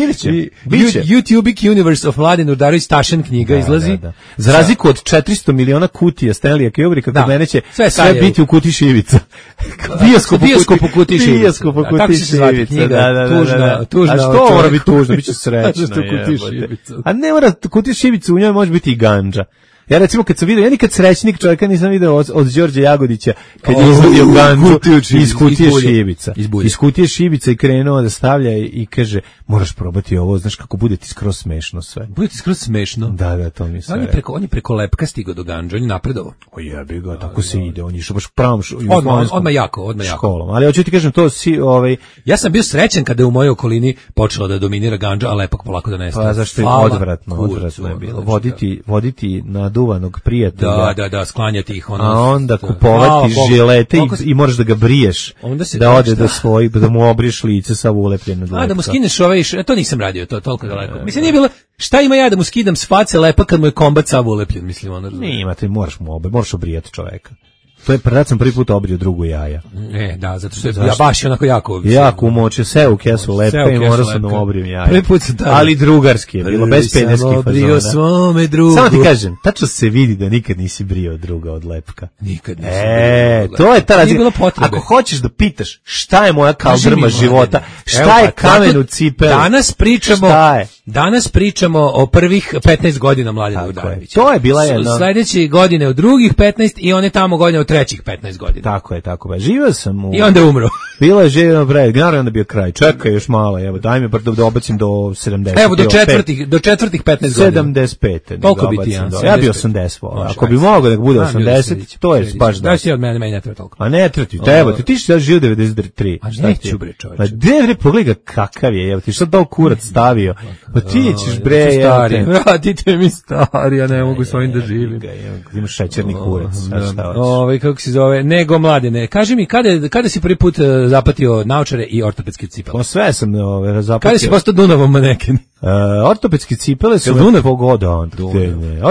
Biće. YouTubic Universe of Mladen Urdarević, Tašen knjiga izlazi. Da. Za razliku od 400 miliona kutija Stanleya Kubricka, kod mene će sve biti u kuti šivica. Bioskop u kuti šivica. Bioskop u kuti šivica. Tužna. A što mora biti tužno? Biće srećno. A ne mora kuti šivica, u njoj može biti i gandža. Ja recimo kad sam vidio, ja nikad srećnik čovjeka nisam vidio od Đorđe Jagodića kad je izvadio gandžu iz kutije šibica. Iz kutije šibica i krenuo da stavlja i kaže, moraš probati ovo, znaš kako bude ti skroz smešno sve. Bude ti skroz smešno? Da, to mi se on je preko lepka stigao do gandža, on je napredovo. O jebi ga, tako se ide, on je išao baš pravom odmah jako. Školom. Ali hoću ti kažem to, ja sam bio srećan kada je u mojoj okolini počela da dominira gandža, a lepak polako da nestaje. Pa zašto je odvratno je bilo. Voditi na duvanog prijatelja. Da, sklanjati ih ono. A onda kupovati žilete i moraš da ga briješ. Da ode do svojih, da mu obriješ lice sa ulepljeno. Da mu skineš to nisam radio, to toliko daleko. Mislim, nije bilo, šta ima ja da mu skidam s face lepa kad mu je kombat sav ulepljen, mislim, ono. Ti moraš obrijati čoveka. To je sam prvi put obrio drugu jaja. Da, zato što ja baš onako jako umočio se u kesu lepe i morao sam da obrim jaja. Prvi put sam ali drugarski je bilo, bez pederskih fazona. Obrio svome drugu. Samo ti kažem, tačno se vidi da nikad nisi brio druga od lepka. Nikad nisam brio. To je ta razlika. Ako hoćeš da pitaš šta je moja kaldrma života, šta je kamen u cipeli. Danas pričamo o prvih 15 godina Mladena Urdarevića. To je bila jedna. Sledeće godine od drugih 15 i one tamo godine od trećih 15 godina. Tako je. Živio sam i onda je umro. Bilo je živio bre, naravno da bio kraj. Čekaj još malo, evo, daj mi da obacim do 70. Evo do četvrtih 15 godina. 75. Toliko biti ja. Ja bi 80. Ako bi mogao da bude 80, to je baš da. Da si od mene ne treba toliko. A ne treba ti si živio 93. A neću bre čoveče. Pa bre pogledaj kakav je, evo ti šta dao kurac stavio. Pa ti ćeš bre, vratite mi stari, ja ne mogu s ovim da živim. Imaš šećerni kurac. Kako se zove, nego Mladene. Kaži mi, kada si prvi put zapatio naočare i ortopedske cipele? Pa sve sam zapatio. Kada si postao Dunavom maneken? Ortopedske cipele su me pogoda.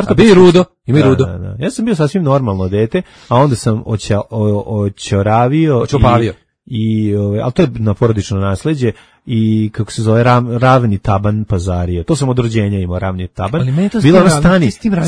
A bi rudo? Ima i rudo. Da. Ja sam bio sasvim normalno dete, a onda sam očoravio ali to je na porodično nasleđe i kako se zove ravni taban pazario. To sam od rođenja imao ravni taban. Ali meni to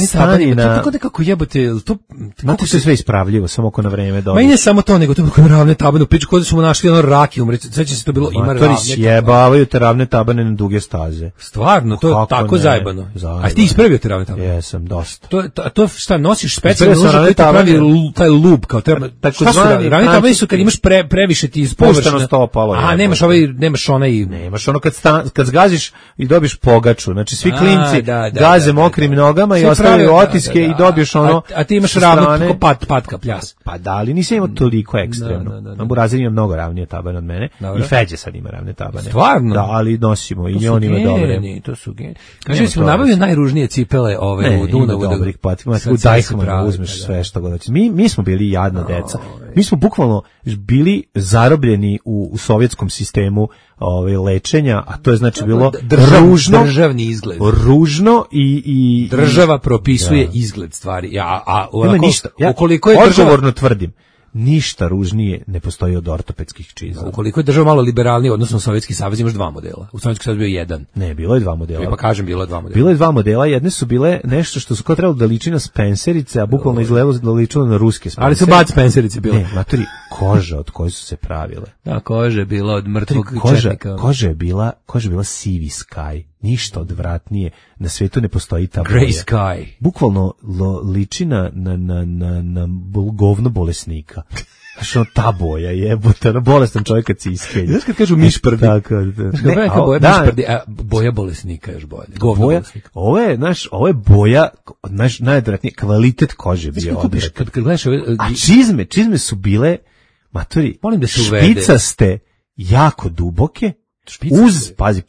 stani na... To tako nekako jebote, to... Znate se sve ispravljivo, samo ako na vreme dođe. Ma i ne samo to, nego to je ravne tabane u piču, kod su mu našli ono rakijum, sveća se to bilo, ima ravne tabane. Jebavaju te ravne tabane na duge staze. Stvarno, to je tako zajebano. A ti ispravio te ravne tabane? Jesam, dosta. To šta, nosiš specijalno nož koji ti pravi taj lub, kao treba... Šta su ravne tabane su kad imaš previše ti iz površine. Nemaš ono kad zgaziš i dobiješ pogaču, znači svi klinci gaze mokrim nogama i ostavljaju otiske i dobiješ ono. A ti imaš ravno patka pljas. Pa da, ali nisam imao toliko ekstremno. Na Burazir ima mnogo ravnije tabane od mene i Feđe sad ima ravne tabane. Stvarno? Da, ali nosimo i on ima dobre. To su geni. Kaže, smo nabavili najružnije cipele u Dunavu. Dobrih patika, u Dajhmanu uzmeš sve što god hoćeš. Mi smo bili jadna deca. Mi smo bukvalno bili zarobljeni u sovjetskom sistemu lečenja, a to je znači bilo ružno, državni izgled. Ružno i država propisuje izgled stvari. Nema ništa. Ja odgovorno tvrdim, ništa ružnije ne postoji od ortopedskih čizama. Ukoliko je država malo liberalnija, odnosno Sovjetski savez, imaš dva modela. U Sovjetskom savezu bio jedan. Ne, bilo je dva modela. Pa kažem, bilo je dva modela. Bilo je dva modela, jedne su bile nešto što su kao trebalo da liči na Spencerice, a bukvalno izgledalo da ličilo na ruske Spencerice. Ali su Bud Spencerice bile. Ne, matori, koža od koje su se pravile. Da, koža je bila od mrtvog četnika. Koža je bila sivi sky. Ništa odvratnije na svijetu ne postoji ta boja. Grey sky. Bukvalno liči na govno bolesnika. Znaš, ono ta boja jebote, ono bolestan čovjek kad se iskenje. Znaš kad kažu mišprdi? Tako, boja bolesnika još bolje. Govno bolesnika. Ovo je boja, najodvratnije, kvalitet kože bio odvratni. Kad gledaš ove... A čizme su bile, matori, molim da se uvede. Špicaste, jako duboke, uz, pazi,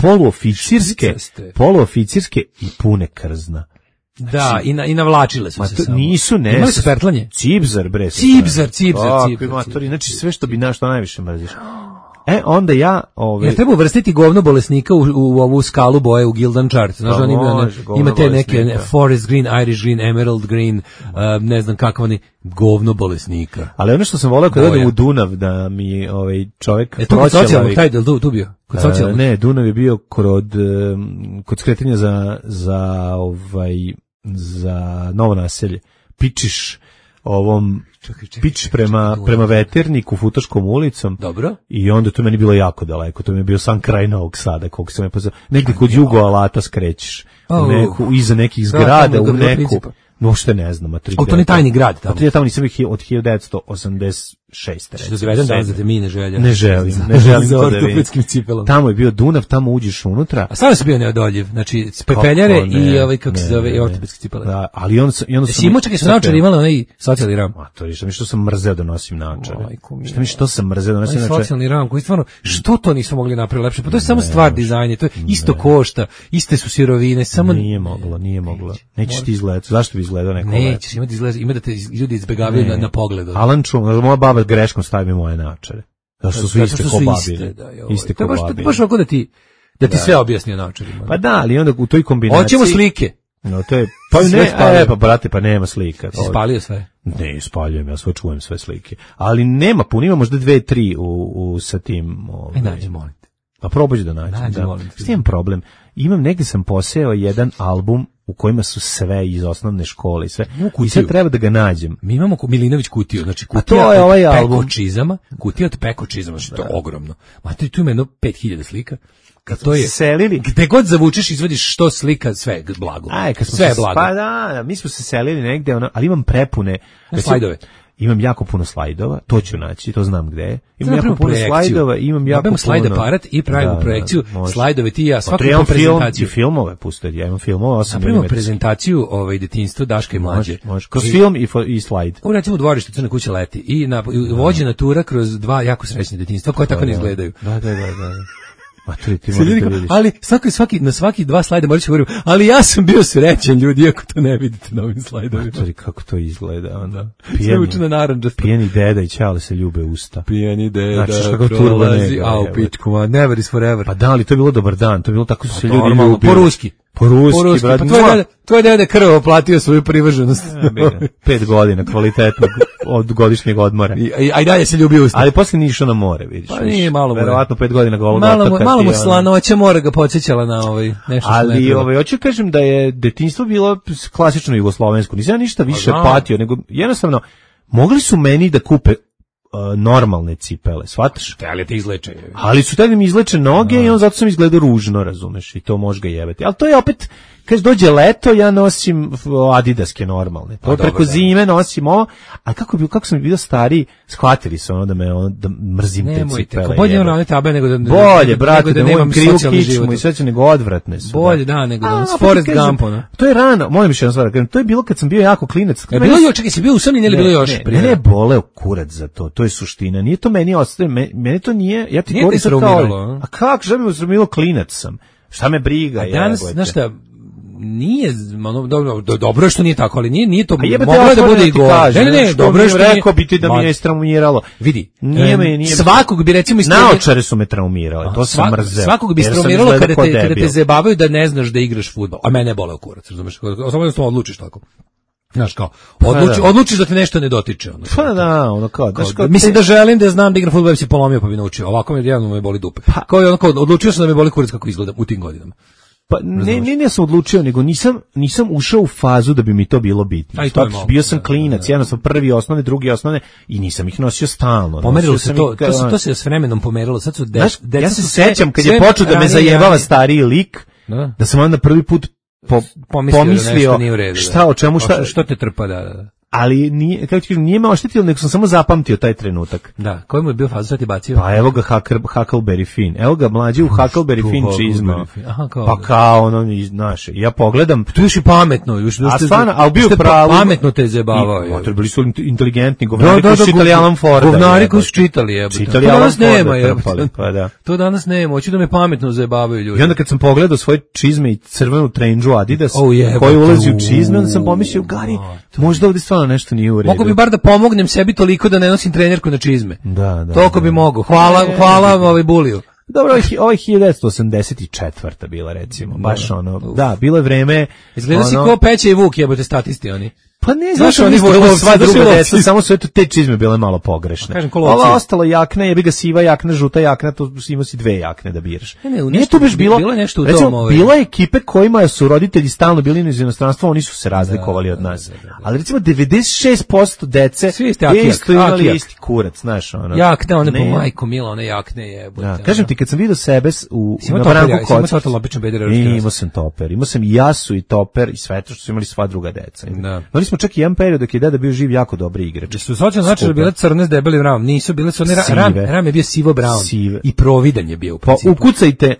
poluoficirske i pune krzna. Da, i navlačile su se samo. Nisu, ne. Imali su pertlanje? Cibzar, bre. Cibzar. Matori, znači sve što bi što najviše mrziš. Onda ja... Ja treba uvrstiti govno bolesnika u ovu skalu boje u Gildan chart. Znaš, on ima te neke forest green, Irish green, emerald green, ne znam kakav oni, govno bolesnika. Ali ono što sam voleo kad odem u Dunav, da mi čovjek... Tu kod socijalnog, taj del tu bio? Kod socijalnog? Ne, Dunav je bio kod skretanja za Novo Naselje. Pičiš pič prema Veterniku Futoškom ulicom. Dobro. I onda to meni bilo jako daleko. To mi je bio sam kraj Novog Sada, koliko sam je pozvao. Negdje kod Jugo Alata skrećeš. Iza nekih zgrada, u neku... Uopšte ne znam. To je tajni grad tamo. Ja tamo nisam ih od 1986. Što zavedem danas da te mi ne želja. Ne želim to da vidim. Tamo je bio Dunav, tamo uđeš unutra. A stvarno si bio neodoljiv. Znači, pepeljare i kako se zove, i ortopedske cipele. Da, ali onda sam... Simo čak i su naočari imali onaj socijalni ram. A to je što sam mrzeo da nosim naočare. Što sam mrzeo da nosim naočare. Socijalni ram, koji stvarno, što to nisu mogli napraviti lepše? Pa to je samo stvar dizajna, to je isto košta, iste su sirovine, samo... Nije moglo. Nećeš ti izgledati. Zašto bi izgledao neko lepo? Nećeš imati izgled, ima da te ljudi izbegavaju na pogled. Alan Čum, moja baba greškom stavi mi moje naočare. Zašto su iste ko babi. Iste ko babi. To je baš ovako da ti sve objasni o naočarima. Pa da, ali onda u toj kombinaciji... Hoćemo slike. No, to je... Pa brate, pa nema slika. Si spalio sve? Ne, spaljujem, ja sve čujem sve slike. Ali nema puno, ima možda 2-3 sa tim... Nađi, molim te. Pa probaj da nađem. Što imam problem? Negdje sam poseo jedan album u kojima su sve iz osnovne škole i sve. I sad treba da ga nađem. Mi imamo Milinović kutiju, znači kutija od pekočizama, što je ogromno. Materi, tu ima jedno 5000 slika. Kad to je selili, gde god zavučeš izvadiš što slika, sve je blago. Sve je blago. Pa da, mi smo se selili negde, ali imam prepune slajdove. Imam jako puno slajdova, to ću naći, to znam gde je. Imam jako puno slajdova, imam jako puno... slajd aparat i pravimo projekciju, slajdove ti i ja, svaku prezentaciju. I filmove pustiti, ja imam filmove 8 mm. Napravimo prezentaciju detinjstva Daška i Mlađe. Može, kroz film i slajd. Ovo recimo u dvorištu Crna kuća leti i vođena tura kroz dva jako srećne detinjstva koje tako ne izgledaju. Da. Ali na svaki 2 slajda morat ću govorim, ali ja sam bio srećan ljudi, iako to ne vidite na ovim slajdovima. Kako to izgleda onda. Sve učeno naranđasto. Pijeni deda i čale se ljube usta. Pijeni deda prolazi, u pičku, never is forever. Pa da, ali to je bilo dobar dan, to je bilo tako su se ljudi ljubili. Po ruski, brad. Pa tvoj deda krvo platio svoju privrženost. 5 godina kvalitetnog od godišnjeg odmora. A i dalje se ljubi usta. Ali posle nije išao na more, vidiš. Pa nije malo more. Verovatno 5 godina golog otoka. Malo mu slanoća mora ga podsjećala na nešto. Ali hoću kažem da je detinjstvo bilo klasično jugoslovensko. Nisam ja ništa više patio, nego jednostavno mogli su meni da kupe normalne cipele, shvataš? Ali te izleče. Ali su tada mi izleče noge i on zato sam izgledao ružno, razumeš, i to može ga jebati. Ali to je opet, kad dođe leto, ja nosim adidaske normalne. To preko zime nosim ovo, a kako sam bio stariji, shvatili su da mrzim te cipele. Bolje ono tabe nego da bolje, brate, da nemam krivu kičmu i sve će nego odvratne su. Bolje, da, nego da s Forrest Gumpom. To je rano, molim još jednom stvar, to je bilo kad sam bio jako klinac. Bilo još, čekaj, si bio usamljen ili bilo još? Ne boleo kurac za to. To je suština. Nije to meni ostaje, meni to nije, ja ti govorim sad kao, a kako, šta mi usramilo, klinac sam? Šta me briga? A danas, znaš šta, nije, dobro što nije tako, ali nije to, moglo da bude i gore. Ne, dobro što rekao bi ti da mi je straumiralo. Vidi, nije svakog bi recimo naočare su me traumirale, to sam mrzeo. Svakog bi straumiralo kada te zabavaju da ne znaš da igraš fudbal, a mene bole kurac, razumeš, samo odlučiš tako. Znaš kao, odlučiš da te nešto ne dotiče. Pa da, ono kao. Mislim da želim da znam da igram fudbal, bi se polomio pa bi naučio. Ovako me jedno me boli dupe. Kao je ono kao, odlučio sam da me boli kurac kako izgleda u tim godinama. Pa ne sam odlučio, nego nisam ušao u fazu da bi mi to bilo bitno. Bio sam klinac, jednostavno prvi osnovne, drugi osnovne i nisam ih nosio stalno. Pomerilo se to se s vremenom pomerilo. Sad su ja se sećam kad je počeo da me zajebava stariji lik, da sam onda prvi put pomislio šta, o čemu, što te trpa, da. Ali nije, kako ti kažem, nije me oštetilo, nego sam samo zapamtio taj trenutak. Da, koji mu je bio fazu, sad ti bacio? Pa evo ga Huckleberry Finn. Evo ga mlađi u Huckleberry Finn čizma. Pa kao ono naše. Ja pogledam. Tu još i pametno. A stvarno, ali bio pravo. Pametno te zajebavao. Bili su inteligentni govnari koji su čitali Alan Forda. Govnari koji su čitali, jebote. To danas nema, jebote. To danas nema, hoću da me pametno zajebavaju ljudi. I onda kad sam pogledao svoje čizme i crvenu trendžu Adidas, koji ulazi u čizme, onda sam pomislio, Gari, možda ovdje ono nešto nije u redu. Mogu bi bar da pomognem sebi toliko da ne nosim trenerku na čizme. Da. Toliko bi mogu. Hvala Buliju. Dobro, ovo je 1984. bila, recimo. Baš ono, da, bilo je vreme... Izgleda si ko Peća i Vuk, jebote statisti oni. Pa ne, znaš oni sva druga deca, samo su eto te čizme bile malo pogrešne. Ova ostalo jakna, jebi ga siva jakna, žuta jakna, to imao si dve jakne da biraš. Nije tu baš bilo nešto u recimo, tom. Bila je ekipe kojima su roditelji stalno bili iz inostranstva, oni su se razlikovali od nas. Ali recimo 96% dece isto imali isti kurac, znaš, ono. Jakne, one po majku mila, one jakne jebote. Kažem ti, kad sam vidio sebe na Branku kod... Imao sam toper, imao sam i jasu i toper i sve to što su imali sva druga deca. Imali smo čak i jedan period dok je deda bio živ jako dobri igrač. Su socijalno znači da bile crne s debelim ramom, nisu bile su one ram je bio sivo brown i providan je bio u principu.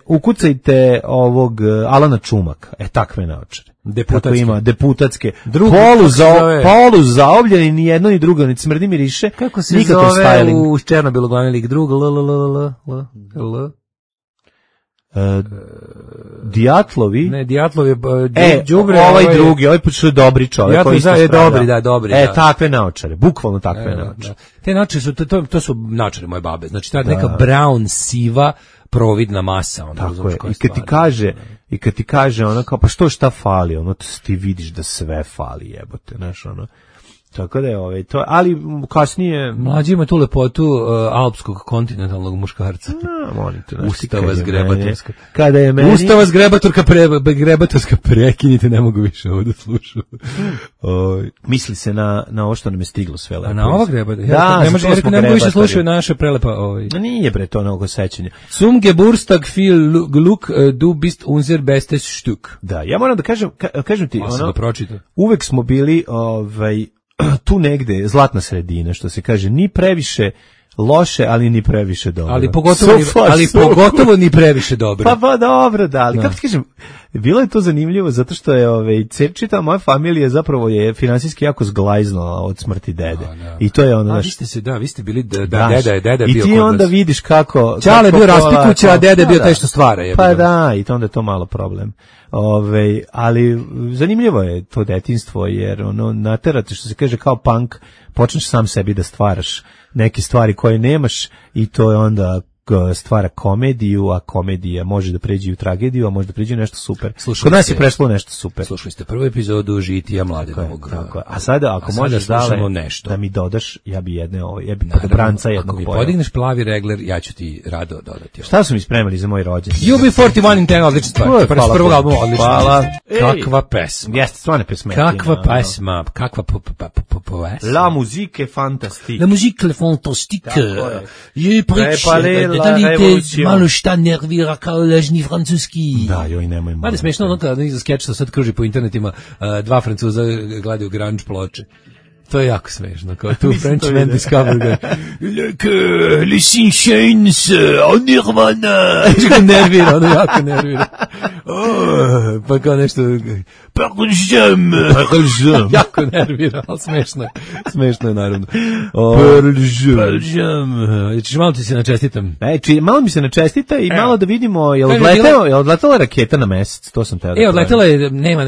Ukucajte ovog Alana Čumaka, takve naočare. Deputatske. Ima deputatske. Polu zaobljeni, ni jedno ni drugo, ni smrdi miriše. Kako se zove u Černobilu glavni lik? Drug L. Dijatlovi. Ne, Dijatlovi đubre. Ovaj drugi, ovaj počeo dobri čovjek koji je dobri. Takve naočare, bukvalno takve naočare. Te naočare su to su naočare moje babe. Znači ta neka brown siva providna masa, ona tako je. I kad ti kaže ona kao pa šta fali, ono ti vidiš da sve fali, jebote, znaš, ono. Tako da je to, ali kasnije... Mlađi ima tu lepotu alpskog kontinentalnog muškarca. Ustava zgrebatorska. Kada je meni... Ustava zgrebatorska, prekinite, ne mogu više ovo da slušam. Misli se na ovo što nam je stiglo sve lepo. A na ova grebata? Da, ne mogu više slušaju naše prelepa... Nije bre to mnogo sećanja. Zum Geburtstag viel Glück, du bist unser bestes Stück. Da, ja moram da kažem ti, ono, uvek smo bili tu negde zlatna sredina, što se kaže, ni previše loše, ali ni previše dobro. Ali pogotovo ni previše dobro. Pa dobro, da, ali kako ti kažem, bilo je to zanimljivo zato što je čitava moja familija zapravo je finansijski jako zglajznula od smrti dede. I to je ono vi ste bili deda je bio kod vas. I ti onda vidiš kako Čale bio raspikuća, a dede bio taj što stvara. Pa da, i to onda je to malo problem. Ali zanimljivo je to detinjstvo jer naterate, što se kaže, kao punk, počneš sam sebi da stvaraš neke stvari koje nemaš i to je onda stvara komediju, a komedija može da pređe u tragediju, a može da pređe u nešto super. Kod nas je prešlo nešto super. Slušali ste prvu epizodu Žitija Mladenovog. A sada ako možeš da mi dodaš, ja bi podobranca jednog pojela. Ako mi podigneš plavi regler, ja ću ti rado dodati. Šta su mi spremali za moj rođendan? UB41 in 10, odlična stvar. S prvog albuma, odlična. Hvala. Kakva pesma. Jeste, stvarno pesma. Kakva pesma. Kakva pesma. La musique fantastique. La musique fantastique. Je preče Dodajte malo šta nervira kao lažni francuski. Da, joj, nemoj malo. Mada smiješno ono kada za skeč što sad kruži po internetima, dva Francuza gledaju grunge ploče. To je jako smešno, kao tu Frenchman Discover les Sinchains, Nirvana. Nervira, jako nervira. Pa kao nešto Pearl Jam. Jako nervira, ali smešno je naravno. Pearl Jam. Češ malo ti se načestitam? Malo mi se načestita i malo da vidimo, je odletela raketa na mesec, to sam teo da odletela je, nema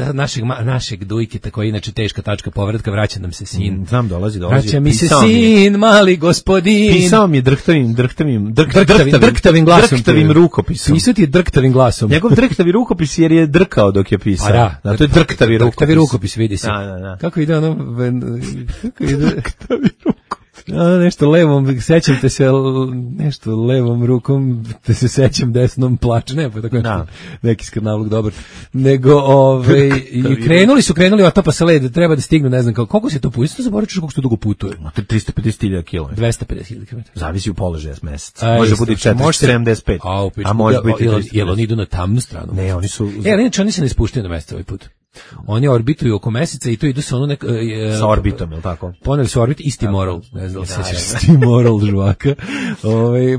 našeg Dujkita koji je inače teška tačka povratka, vraća nam se sin. Znam, dolazi. Vraća mi se sin, mali gospodin. Pisao mi je drhtavim glasom. Drhtavim rukopisom. Pisao ti je drhtavim glasom. Njegov drhtavi rukopis jer je drkao dok je pisao. Pa da, to je drhtavi rukopis, vidi se. Da. Kako ide ono... Drhtavi rukopis. Nešto levom, sećam te se nešto levom rukom, te se sećam desnom plače, ne, pa tako neki skrnavluk dobar, nego i krenuli otapa sa led, treba da stignu, ne znam koliko se to pustiti, zaboravit ću koliko se dugo putuje. 350.000 km. 250.000 km. Zavisi u položaju mesec. Može biti 475. A može biti 300. Jel oni idu na tamnu stranu? Ne, oni su... Oni se ne ispuštaju na mesec ovaj put. Oni orbituju oko meseca i to idu sa ono sa orbitom, je li tako? Poneli su orbit isti moral, ne znam se isti moral žvaka.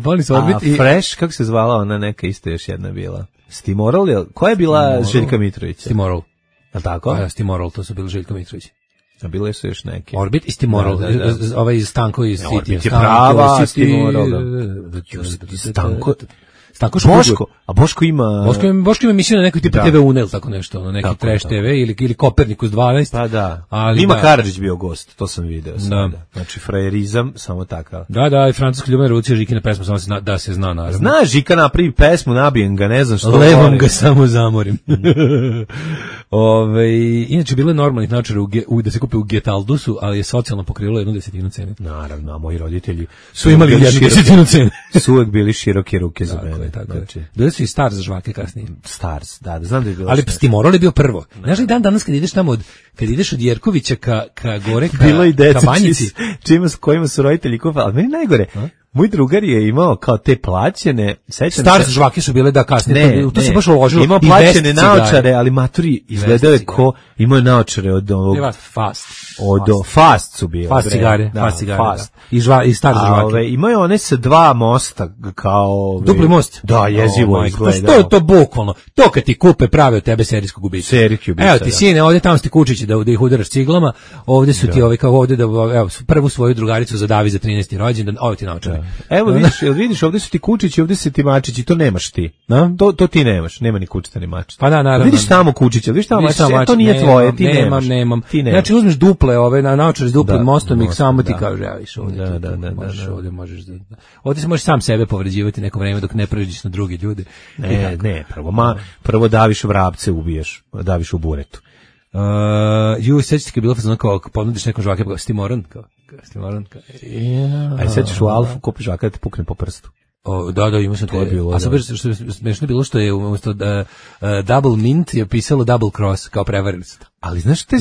Poneli su orbit i Fresh, kako se zvala ona neka isto još jedna bila? Stimoral, koja je bila Željka Mitrovića? Stimoral. Je li tako? Stimoral, to su bili Željka Mitrović. A bile su još neke. Orbit i Stimoral, ovaj Stanko iz City. Orbit je prava, Stimoral, Stanko Boško, a Boško ima... Boško ima emisiju na nekoj tipu TV Unel, tako nešto, ono, neki Trash TV ili Kopernikus 12. Pa da, Mima Karadžić bio gost, to sam video sada. Znači, frajerizam, samo takav. Da, i francuski ljubavna revolucija, Žikina pesma, samo da se zna, naravno. Zna Žika napravi pesmu, nabijem ga, ne znam što... Levom ga samo zamorim. Inače, bilo je normalnih naočara da se kupe u Getaldusu, ali je socijalno pokrilo 1/10 cene. Naravno, a moji roditelji su imali 1/10 cene. Su uvek bili široke ruke za mene. Tako je. Bili su i Stars za žvake kasnije. Stars, da, znam da je bilo. Ali Stimoral je bio prvo. Znaš li dan danas kad ideš tamo kad ideš od Jerkovića ka gore ka bilo i deca Banjici, kojima su roditelji kupali, ali meni najgore. Moj drugar je imao kao te plaćene, sećam Stars žvake su bile da kasnije, to se baš uložilo. Imao plaćene naočare, ali maturi izgledao je ko, imao je naočare od ovog... Fast su bile. Fast cigare. I Stars žvake. Imao je one sa 2 mosta, kao... Dupli most? Da, jezivo izgledao. To je to bukvalno. To kad ti kupe prave od tebe serijskog ubica. Evo ti sine, ovdje tamo ste kučići da ih udaraš ciglama, ovdje su ti kao ovdje da, evo, prvu svoju drugaricu zadavi za 13. rođendan, ovo ti naočare. Evo vidiš, ovdje su ti kučići, ovdje su ti mačići, to nemaš ti. To ti nemaš, nema ni kučica ni mačića. Pa da, naravno. Vidiš tamo kučića, vidiš tamo mačića, to nije tvoje, ti nemaš. Nemam. Znači uzmeš duple ove, naočare s duplim mostom i samo ti kaže, ja viš ovdje. Ovdje možeš ovdje se možeš sam sebe povređivati neko vreme dok ne pređeš na drugi ljudi. Ne, prvo daviš vrapce, ubiješ, daviš u buretu. Sećate kad je bilo fazon kao ponudiš nekom žvake, kao Stimoran, Aj sećaš u Alfu kupiš žvaka da te pukne po prstu. Da, ima sam to bilo. A sad što smešno bilo što je umjesto double mint je pisalo double cross kao prevarili su to. Ali znaš što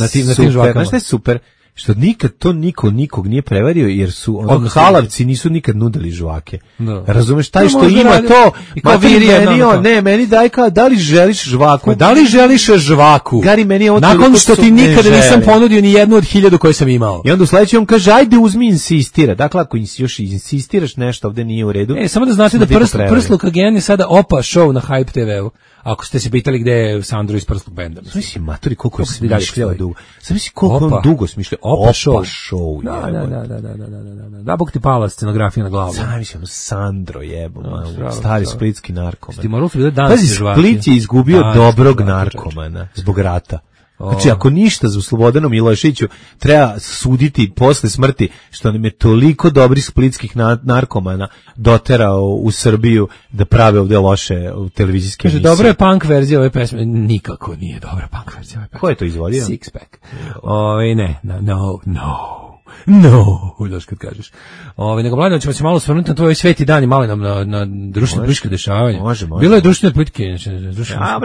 je super? Što nikad to nikog nije prevario, jer su halavci nisu nikad nudili žvake. Razumeš, taj što ima to, meni daj kao, da li želiš žvaku? Da li želiš žvaku? Gari, meni je nakon što ti nikada nisam ponudio ni jednu od 1000 koje sam imao. I onda u sledeći on kaže, ajde uzmi insistira. Dakle, ako još insistiraš nešto, ovde nije u redu. Samo da znate da Prsluk Again je sada opa show na Hype TV-u. Ako ste se pitali gde je Sandro iz Prslog benda. Mislim, maturi, koliko je smišljao dugo. Sam mislim, koliko on dugo smišljao. Opa show. Da, bog ti pala scenografija na glavu. Sam mislim, Sandro jebo, stari splitski narkoman. Stimoral su bile Pazi, Split je izgubio dobrog narkomana zbog rata. Znači, ako ništa za Slobodanu Miloševiću treba suditi posle smrti, što nam je toliko dobrih splitskih narkomana doterao u Srbiju da prave ovde loše televizijske emisije. Dobro je punk verzija ove pesme. Nikako nije dobra punk verzija ove pesme. Ko je to izvodio? Six Pack. No, daš kad kažeš. Nego mladeno ćemo se malo svrnuti na tvoj sveti dan i malo nam na društveno političke dešavanja. Može. Bilo je društvene politike.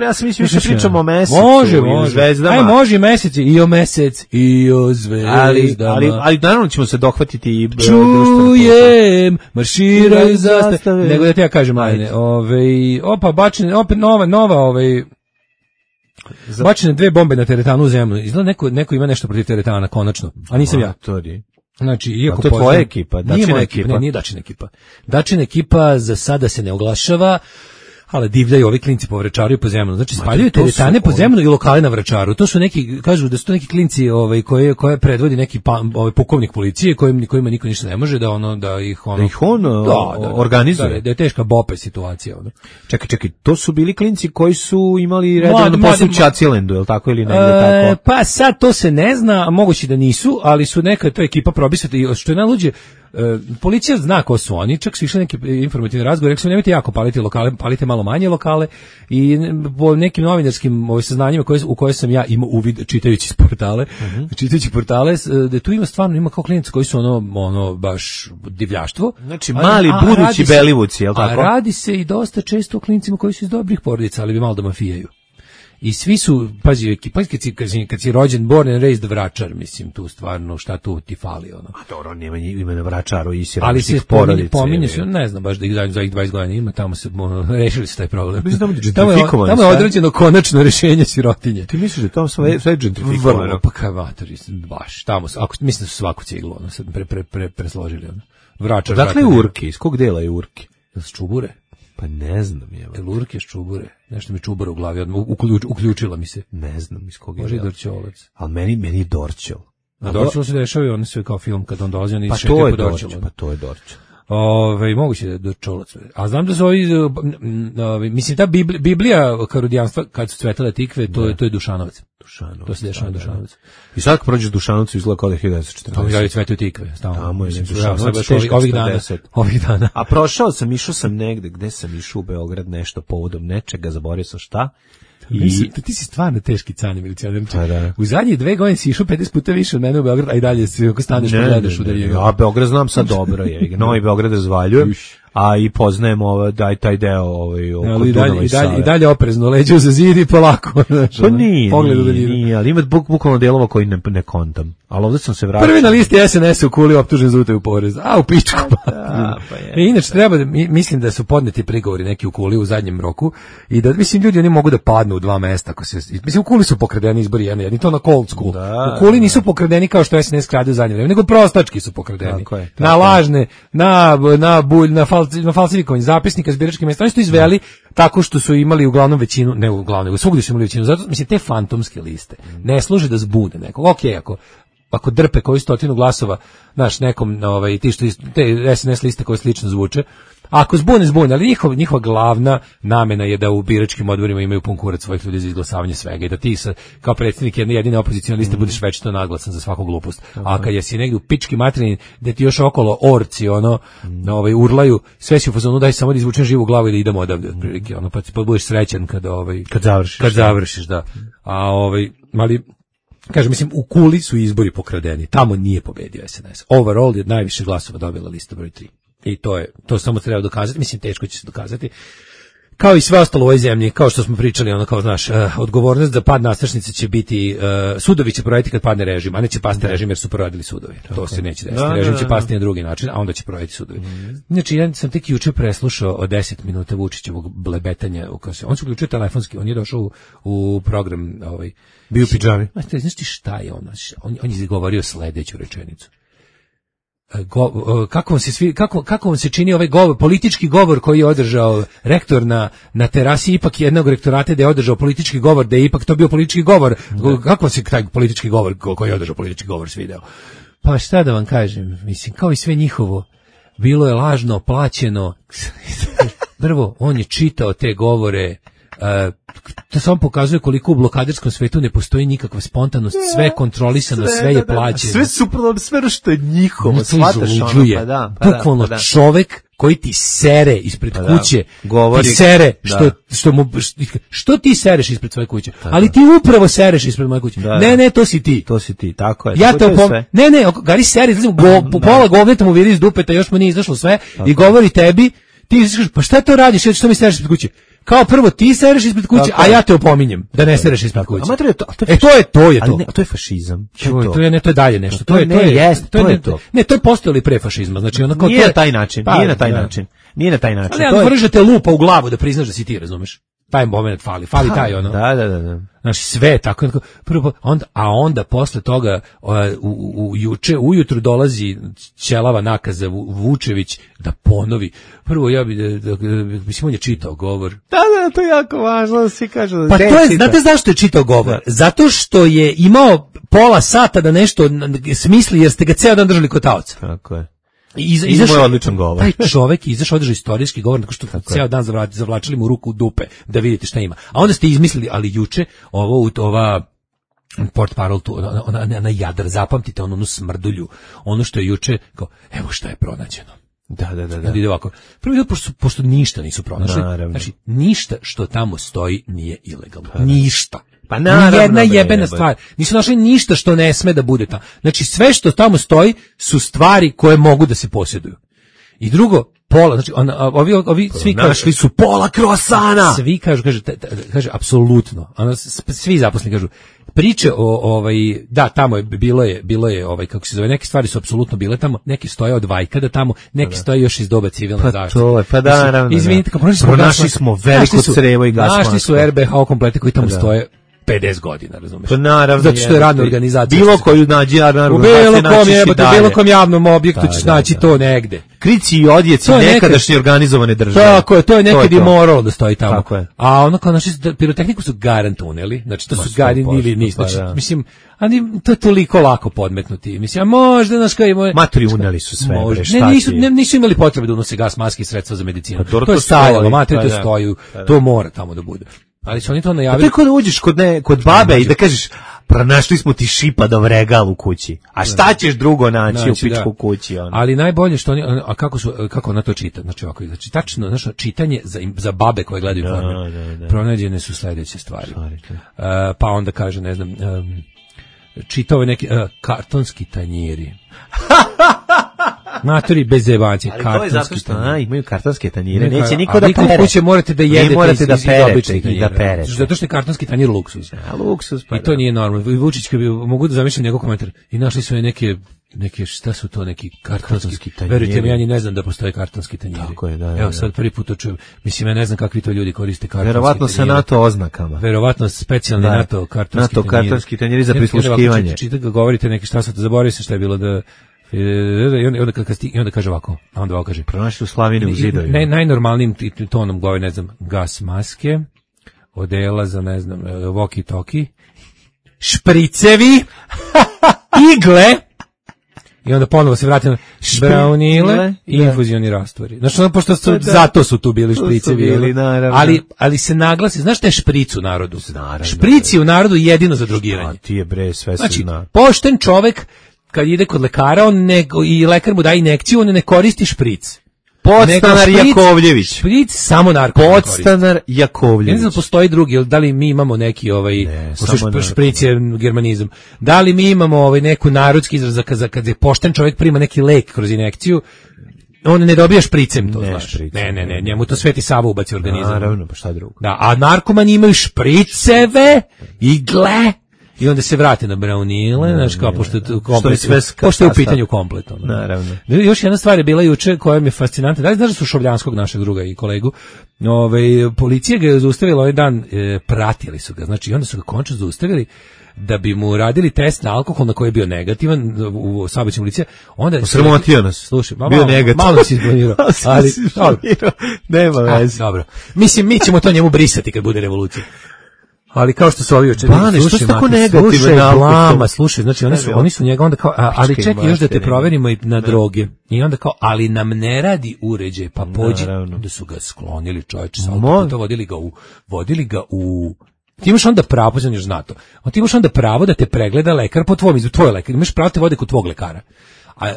Ja sam mislio što pričamo o mesecu može. i o zvezdama. Aj, može i mesec, i o mesec, i o zvezdama. Ali naravno ćemo se dohvatiti i čujem, marširaju zastave. Nego da ti ja kažem, mladene, bačene, opet nova, bačene 2 bombe na teretanu u zemlju. Izgleda neko ima nešto protiv teretana, konačno. A nisam ja. Znači, iako to je tvoja ekipa, Dačina ekipa. Nije Dačina ekipa. Dačina ekipa za sada se ne oglašava, ali divljaju ovi klinci po Vračaru i po Zemunu. Znači, spaljuju teretane po Zemunu i lokale na Vračaru. To su neki, kažu da su to neki klinci koje predvodi neki pukovnik policije, kojima niko ništa ne može, da ih organizuje. Da je teška bope situacija. Čekaj, to su bili klinci koji su imali redovno posao u Čacilendu, je li tako ili negdje tako? Pa sad to se ne zna, a moguće da nisu, ali su neka to ekipa probisati i što je najluđe, policija zna ko su oni, čak su išli neki informativni razgovor, rekli su nemojte jako paliti lokale, palite malo manje lokale i po nekim novinarskim saznanjima u koje sam ja imao uvid čitajući portale, da tu ima kao klijenti koji su ono baš divljaštvo. Znači mali budući Belivuci, je li tako? A radi se i dosta često o klincima koji su iz dobrih porodica, ali bi malo da mafijaju. I svi su, pazi, kad si rođen, born and raised Vračar, mislim, tu stvarno, šta tu ti fali, ono. A dobro, nema ime na Vračaru i si ali se pominje se, ne znam, baš da ih za ih 20 godina ima, tamo se, rešili su taj problem. Tamo je određeno konačno rešenje sirotinje. Ti misliš da tamo sve gentrifikovano? Vrlo, pa kaj vatori, baš, tamo, mislim da su svaku ciglu, ono, sad presložili, ono. Vračar. Dakle je Urki, iz kog dela je Urki? S Čubure? Pa ne znam, Urke s Čubure. Nešto mi Čubura u glavi, uključila mi se. Ne znam iz kog je. Može i Dorćolac. Ali meni je Dorćol. Na Dorčelu se dešava i on sve kao film kad on dolazi, oni Pa šetaju to je po Dorčelu. Dorčel, pa to je Dorčel. Moguće da je Dorčelac. A znam da su mislim ta Biblija karudijanstva kad su cvetale tikve, to je Dušanovac. To se dešava na Dušanovac. I sad kad prođeš Dušanovcu izgleda kao da je 1940. Tamo i cvetaju tikve. Tamo je Dušanovac ovih dana. A išao sam negde, gde sam išao u Beograd nešto povodom nečega, zaboravio sam šta. Ti si stvarno teški cane milicionar. U zadnje 2 godine si išao 50 puta više od mene u Beograd, a i dalje si ako staneš pogledaš u dalje. Ja Beograd znam sad dobro, Novi Beograd razvaljujem, a i poznajem taj deo oko Dunava i Save. I dalje oprezno, leđe za zid i polako. Pa nije, ali ima bukvalno delova koji ne kontam. Ali ovdje sam se vratio. Prvi na listi SNS u Kuli optužen za utaju poreza. A u pičku. Inače treba mislim da su podneti prigovori neki u Kuli u zadnjem roku i da mislim ljudi oni mogu da padnu u 2 mesta mislim u Kuli su pokradeni izbori jedni to na cold school. U Kuli nisu pokradeni kao što SNS krade u zadnje vreme, nego prostački su pokradeni. Na lažne, na falsifikovanje zapisnika s biračkih mesta. Oni su to izveli tako što su imali uglavnom većinu, ne uglavnom, nego svugdje su imali većinu. Zato mislim te fantomske liste ne služe da zbune nekog. Okej, ako drpe koju 100 glasova, znaš, nekom ti što te SNS liste koje slično zvuče, ako zbune, ali njihova glavna namena je da u biračkim odborima imaju pun kurac svojih ljudi za izglasavanje svega i da ti kao predsjednik jedine opozicione liste budeš večito naglasan za svaku glupost. A kad jesi negdje u pički materini gde ti još okolo orci urlaju, sve si u fazonu daj samo da izvučem živu glavu i da idemo odavde otprilike, pa budeš srećan kad završiš, da. Ali kažem, mislim, u Kuli su izbori pokradeni, tamo nije pobedio SNS. Overall je najviše glasova dobila lista broj 3. I to samo treba dokazati, mislim, teško će se dokazati. Kao i sve ostalo u ovoj zemlji, kao što smo pričali, kao znaš, odgovornost za pad nastrešnice će biti, sudovi će proraditi kad padne režim, a neće pasti režim jer su proradili sudovi. To se neće desiti. Režim će pasti na drugi način, a onda će proraditi sudovi. Znači, ja sam tek juče preslušao od 10 minuta Vučićevog blebetanja. On se uključio telefonski, on je došao u program, bio u pidžami. Znaš ti šta je on? On je izgovorio sledeću rečenicu. Kako vam se čini ovaj govor, politički govor koji je održao rektor na terasi ipak jednog rektorata, da je održao politički govor, da je ipak to bio politički govor. Kako vam se taj politički govor koji je održao politički govor svideo? Pa šta da vam kažem, mislim, kao i sve njihovo, bilo je lažno, plaćeno. Prvo, on je čitao te govore, to samo pokazuje koliko u blokadarskom svetu ne postoji nikakva spontanost, sve je kontrolisano, sve je plaćeno. Sve suprotno, sve što je njihovo, shvataš bukvalno čovek koji ti sere ispred kuće, govori, ti sere, što ti sereš ispred svoje kuće, ali ti upravo sereš ispred moje kuće. Ne, to si ti. To si ti, tako je. Ja te Gari sere, pola govneta mu viri iz dupeta, još mu nije izašlo sve i govori tebi, ti kažeš, pa šta to radiš, što mi sereš ispred kuće? Kao prvo ti sereš ispred kuće, a ja te opominjem da ne sereš ispred kuće. To je to. A to je fašizam. To je dalje nešto. To je to. Ne, to je postojalo i pre fašizma. Znači onako nije na taj način. Nije na taj način. Ali vrže te lupa u glavu da priznaš da si ti, razumeš? Taj moment fali taj ono. Da. Znači sve tako. Prvo onda posle toga ujutru dolazi ćelava nakaza Vučević da ponovi. Prvo ja mislim on je čitao govor. Da, to je jako važno, svi kažu. Pa to je, znate zašto je čitao govor? Zato što je imao pola sata da nešto smisli jer ste ga ceo dan držali kod taoca. Tako je. Izašao je odličan govor. Taj čovjek izašao održao istorijski govor, tako što ceo dan zavlačili mu ruku u dupe da vidite šta ima. A onda ste izmislili, ali juče ova port parol tu, ona Jadar, zapamtite onu smrdulju, ono što je juče, kao, evo šta je pronađeno. Da. Ide ovako. Prvo, pošto ništa nisu pronašli, znači ništa što tamo stoji nije ilegalno. Ništa. Pa naravno, jedna jebena stvar. Nisu našli ništa što ne sme da bude tamo. Znači sve što tamo stoji su stvari koje mogu da se posjeduju. I drugo, pola, znači ovi svi našli su pola krosana. Svi kaže apsolutno. Svi zaposleni kažu priče o da tamo je bilo je kako se zove, neke stvari su apsolutno bile tamo, neke stoje od Vajkada tamo, neke stoje još iz doba civilne zaštite. Pa naravno. Izvinite, pronašli smo veliko crevo i gasno. Našli su RBH komplete koji tamo stoje 50 godina, razumeš? Pa naravno. Zato što je radna organizacija. Bilo koju nađi radna organizacija. U bilo kom javnom objektu ćeš naći to negde. Krici i odjeci nekadašnje organizovane države. Tako je, to je nekad i moralo da stoji tamo. Tako je. A ono kao naši pirotehniku su garant uneli, znači to su ili nisu. Znači, mislim, ali to je toliko lako podmetnuti. Mislim, a možda naš kao imao... Maturi uneli su sve, bre, šta nisu imali potrebe da unose gas, maske i sredstva za medicinu. To je stajalo, materi to stoji, to mora tamo da bude. Ali su oni to najavili. A to je da uđeš kod babe i da kažeš, pronašli smo ti šipadov regal u kući. A šta ćeš drugo naći u pičku kući? Ono? Ali najbolje što oni, a kako ona to čita? Znači ovako, znači tačno, znači čitanje za babe koje gledaju Informer. Pronađene su sledeće stvari. Pa onda kaže, ne znam, čitao je neki kartonski tanjiri. Matori bez zebanci, ali to je zato što imaju kartonske tanjire, neće niko da pere. Kuće morate da jedete, morate da perete i da perete. Zato što je kartonski tanjir luksuz. Luksuz, pa i to nije normalno. I Vučić mogu da zamišljam njegov komentar. I našli su neke šta su to, neki kartonski tanjiri. Verujte mi, ja ni ne znam da postoje kartonski tanjiri. Tako je, da. Evo sad prvi put to čujem. Mislim, ja ne znam kakvi to ljudi koriste kartonski tanjiri. Verovatno sa NATO oznakama. Verovatno specijalni NATO kartonski tanjiri za prisluškivanje. Čitate ga, govorite neki šta sad, zaboravio se šta je bilo da I onda kaže ovako, a onda ovako kaže, pronašli u Slavini u zidovima. Najnormalnijim tonom govori, ne znam, gas maske, odela za, ne znam, walkie-talkie, špricevi, igle, i onda ponovo se vratim braunile i infuzioni rastvori. Znači, pošto zato su tu bili špricevi, ali se naglasi, znaš šta je špric u narodu? Špric je u narodu jedino za drogiranje. A ti je bre, sve se zna. Pošten čovek, kad ide kod lekara, i lekar mu daje injekciju, on ne koristi špric. Podstanar Jakovljević. Špric samo narkoman. Podstanar Jakovljević. Ne znam da postoji drugi, da li mi imamo neki špric je germanizam. Da li mi imamo neku narodski izraz kad je pošten čovjek prima neki lek kroz injekciju, on ne dobija špricem, to znaš. Ne, njemu to Sveti Sava ubaci u organizam. Naravno, pa šta drugo. Da, a narkomani imaju špriceve, igle, i onda se vrate na braunile, znaš, kao pošto je u pitanju kompletno. Naravno. Još jedna stvar je bila juče koja mi je fascinantna. Da li znaš da su Šovljanskog, našeg druga i kolegu, policija ga je zaustavila ovaj dan, pratili su ga, znači, i onda su ga končno zaustavili da bi mu radili test na alkohol na koji je bio negativan u saobraćajnoj policiji. Onda sramotio nas. Slušaj, bio negativan. Malo si izbunirao. Ali nema veze. Dobro. Mislim, mi ćemo to njemu brisati kad bude revolucija. Ali kao što su ovi očeri, slušaj, znači oni su njega onda kao, ali čekaj još da te proverimo i na droge. I onda kao, ali nam ne radi uređaj, pa pođi. Onda su ga sklonili, čovječe, to vodili ga u... Ti imaš onda pravo, pođan još zna to, ti imaš onda pravo da te pregleda lekar po tvoj lekar, imaš pravo te vode kod tvog lekara. A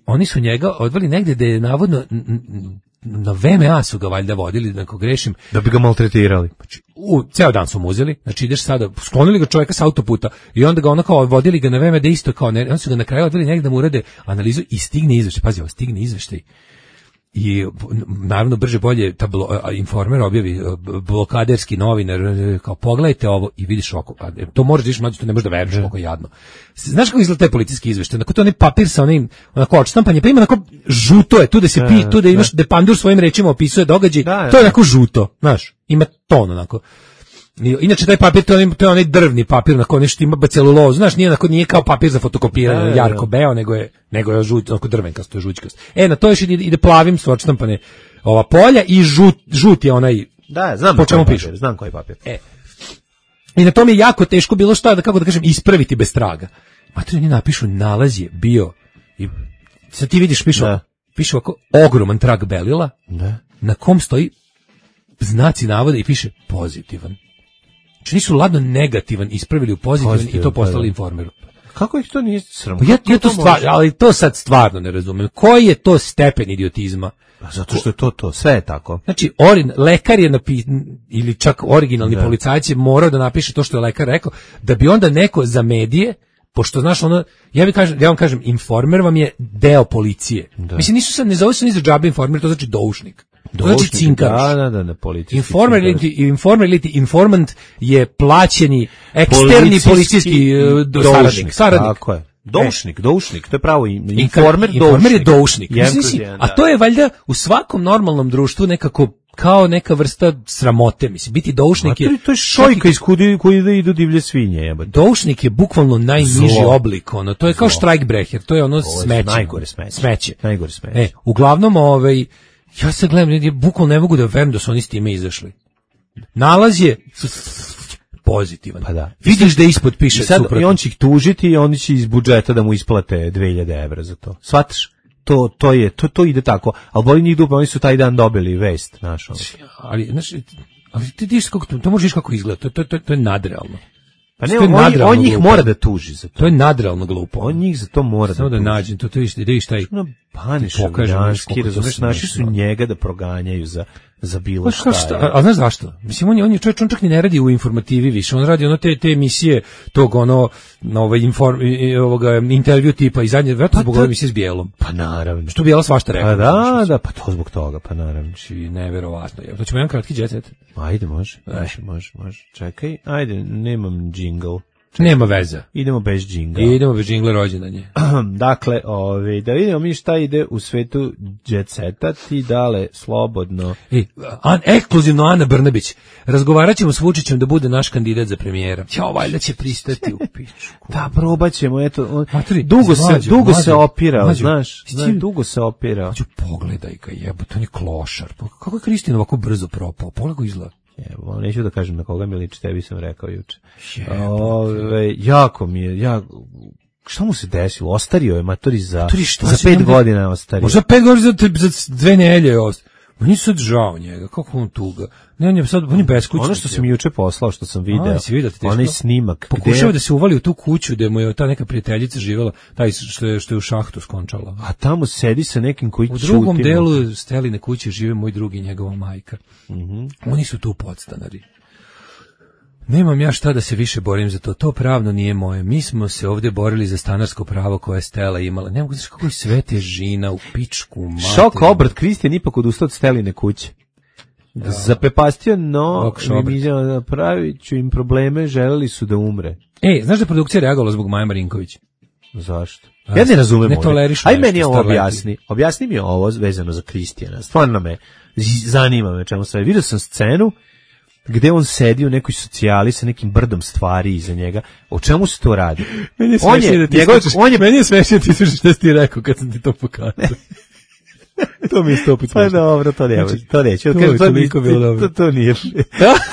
oni su njega odveli negde da je navodno... Na VMA su ga valjda vodili, ako grešim. Da bi ga maltretirali. Ceo dan su mu uzeli, znači ideš sada, sklonili ga čovjeka sa autoputa i onda ga onako vodili ga na VMA da isto kao, onda su ga na kraju odveli negdje da mu urade analizu i stigne izveštaj. Pazi, stigne izveštaj. I naravno brže bolje Informer objavi, blokaderski novinar, kao pogledajte ovo i vidiš oko, to možeš vidiš, mlađe, to ne možeš da veruješ koliko je jadno. Znaš kako izgleda taj policijski izveštaj? Onako to onaj papir sa onim, onako odštampanje, pa ima onako žuto je, tu da se tu da imaš, da Pandur svojim rečima opisuje događaj, to je onako žuto, znaš, ima ton onako. Inače taj papir, to je onaj drvni papir, onako nešto ima celulozu, znaš, nije kao papir za fotokopiranje, jarko beo, nego je žut, onako drvenkast, to je žućkast. Na to još ide plavim su odštampane ova polja i žut je onaj, znam po čemu piše. Znam koji papir. I na tom je jako teško bilo šta, kako da kažem, ispraviti bez traga. Mater, oni napišu, nalaz je bio, i sad ti vidiš, piše ovako, ogroman trag belila, na kom stoji znaci navoda i piše pozitivan. Znači nisu ladno negativan ispravili u pozitivan i to poslali Informeru. Kako ih to nije sramo? Ali to sad stvarno ne razumem. Koji je to stepen idiotizma? Zato što je to, sve je tako. Znači, lekar je ili čak originalni policajac je morao da napiše to što je lekar rekao, da bi onda neko za medije, pošto znaš ja vam kažem, Informer vam je deo policije. Mislim, nisu sad, ne zove se ni za džabe Informer, to znači doušnik. To znači cinkaroš. Informer ili informant je plaćeni eksterni policijski saradnik. Tako je. Doušnik, to je pravo Informer je doušnik. A to je valjda u svakom normalnom društvu nekako kao neka vrsta sramote, mislim, biti doušnik je... To je šojka iz koji idu divlje svinje, jebate. Doušnik je bukvalno najniži oblik, ono, to je kao štrajkbreher, to je ono smeće. Najgore smeće. Najgore smeće. Uglavnom, ja se gledam, bukvalno ne mogu da verujem da su oni s time izašli. Nalaz je pozitivan. Pa da. Vidiš da ispod piše suprotno. I on će ih tužiti i oni će iz budžeta da mu isplate 2000 evra za to. Shvataš? To ide tako. Ali boli njih dupe, oni su taj dan dobili vest, znaš. Ali ti vidiš kako to možeš kako izgleda. To je nadrealno. Pa ne, on njih mora da tuži za to. To je nadrealno glupo. On njih za to mora da tuži. Samo da nađem, to vidiš taj... Panišavljanski, razumeš, naši su njega da proganjaju za bilo šta. A znaš zašto? Mislim, on čak ni ne radi u informativi više, on radi te emisije tog ovoga intervju tipa i zadnje, vjerojatno zbog ove emisije s Bijelom. Pa naravno. Što Bijela svašta rekao. Pa da, pa to zbog toga, pa naravno. Neverovatno. To ćemo jedan kratki jet set. Ajde, može. Čekaj, ajde, nemam džingl. Nema veze. Idemo bez džingla. Idemo bez džingla rođendanje. Dakle, da vidimo mi šta ide u svetu jet seta, ti dale slobodno. Ekskluzivno Ana Brnabić. Razgovarat ćemo s Vučićem da bude naš kandidat za premijera. Ćao, valjda će pristati u pičku. Da, probat ćemo, eto. Dugo se opirao, znaš. Dugo se opirao. Hoću, pogledaj ga, jebote, on je klošar. Kako je Kristina ovako brzo propao? Pogledaj ga izgleda. Evo, neću da kažem na koga mi liči, tebi sam rekao juče. Jako mi je, šta mu se desilo? Ostario je, matori, za 5 godina je ostario. Možda 5 godina za 2 nedelje je ostario. Meni sad žao njega, kako on tuga. Ne, on je beskućnik. Ono što sam juče poslao, što sam video, onaj snimak. Pokušao da se uvali u tu kuću gde mu je ta neka prijateljica živjela, taj što je u šahtu skončala. A tamo sedi sa nekim koji čuti. U drugom delu Steline kuće žive moj drugi i njegova majka. Oni su tu podstanari. Nemam ja šta da se više borim za to pravno nije moje. Mi smo se ovdje borili za stanarsko pravo koje je Stela imala. Ne mogu znaš kako je sve težina u pičku materiju. Šok obrat, Kristijan ipak odustao od Steline kuće. Zapepastio, no pravit ću im probleme, želeli su da umre. Znaš da je produkcija reagovala zbog Maje Marinković? Zašto? Ja ne razumem ovdje. Aj meni ovo objasni. Objasni mi ovo vezano za Kristijana. Stvarno me zanima me čemu sve. Vidio sam scenu gde on sedi u nekoj socijali sa nekim brdom stvari iza njega. O čemu se to radi? Meni je smešno da ti slušaš šta si ti rekao kad sam ti to pokazao. To mi je 100 puta smešno. Pa dobro, to neće.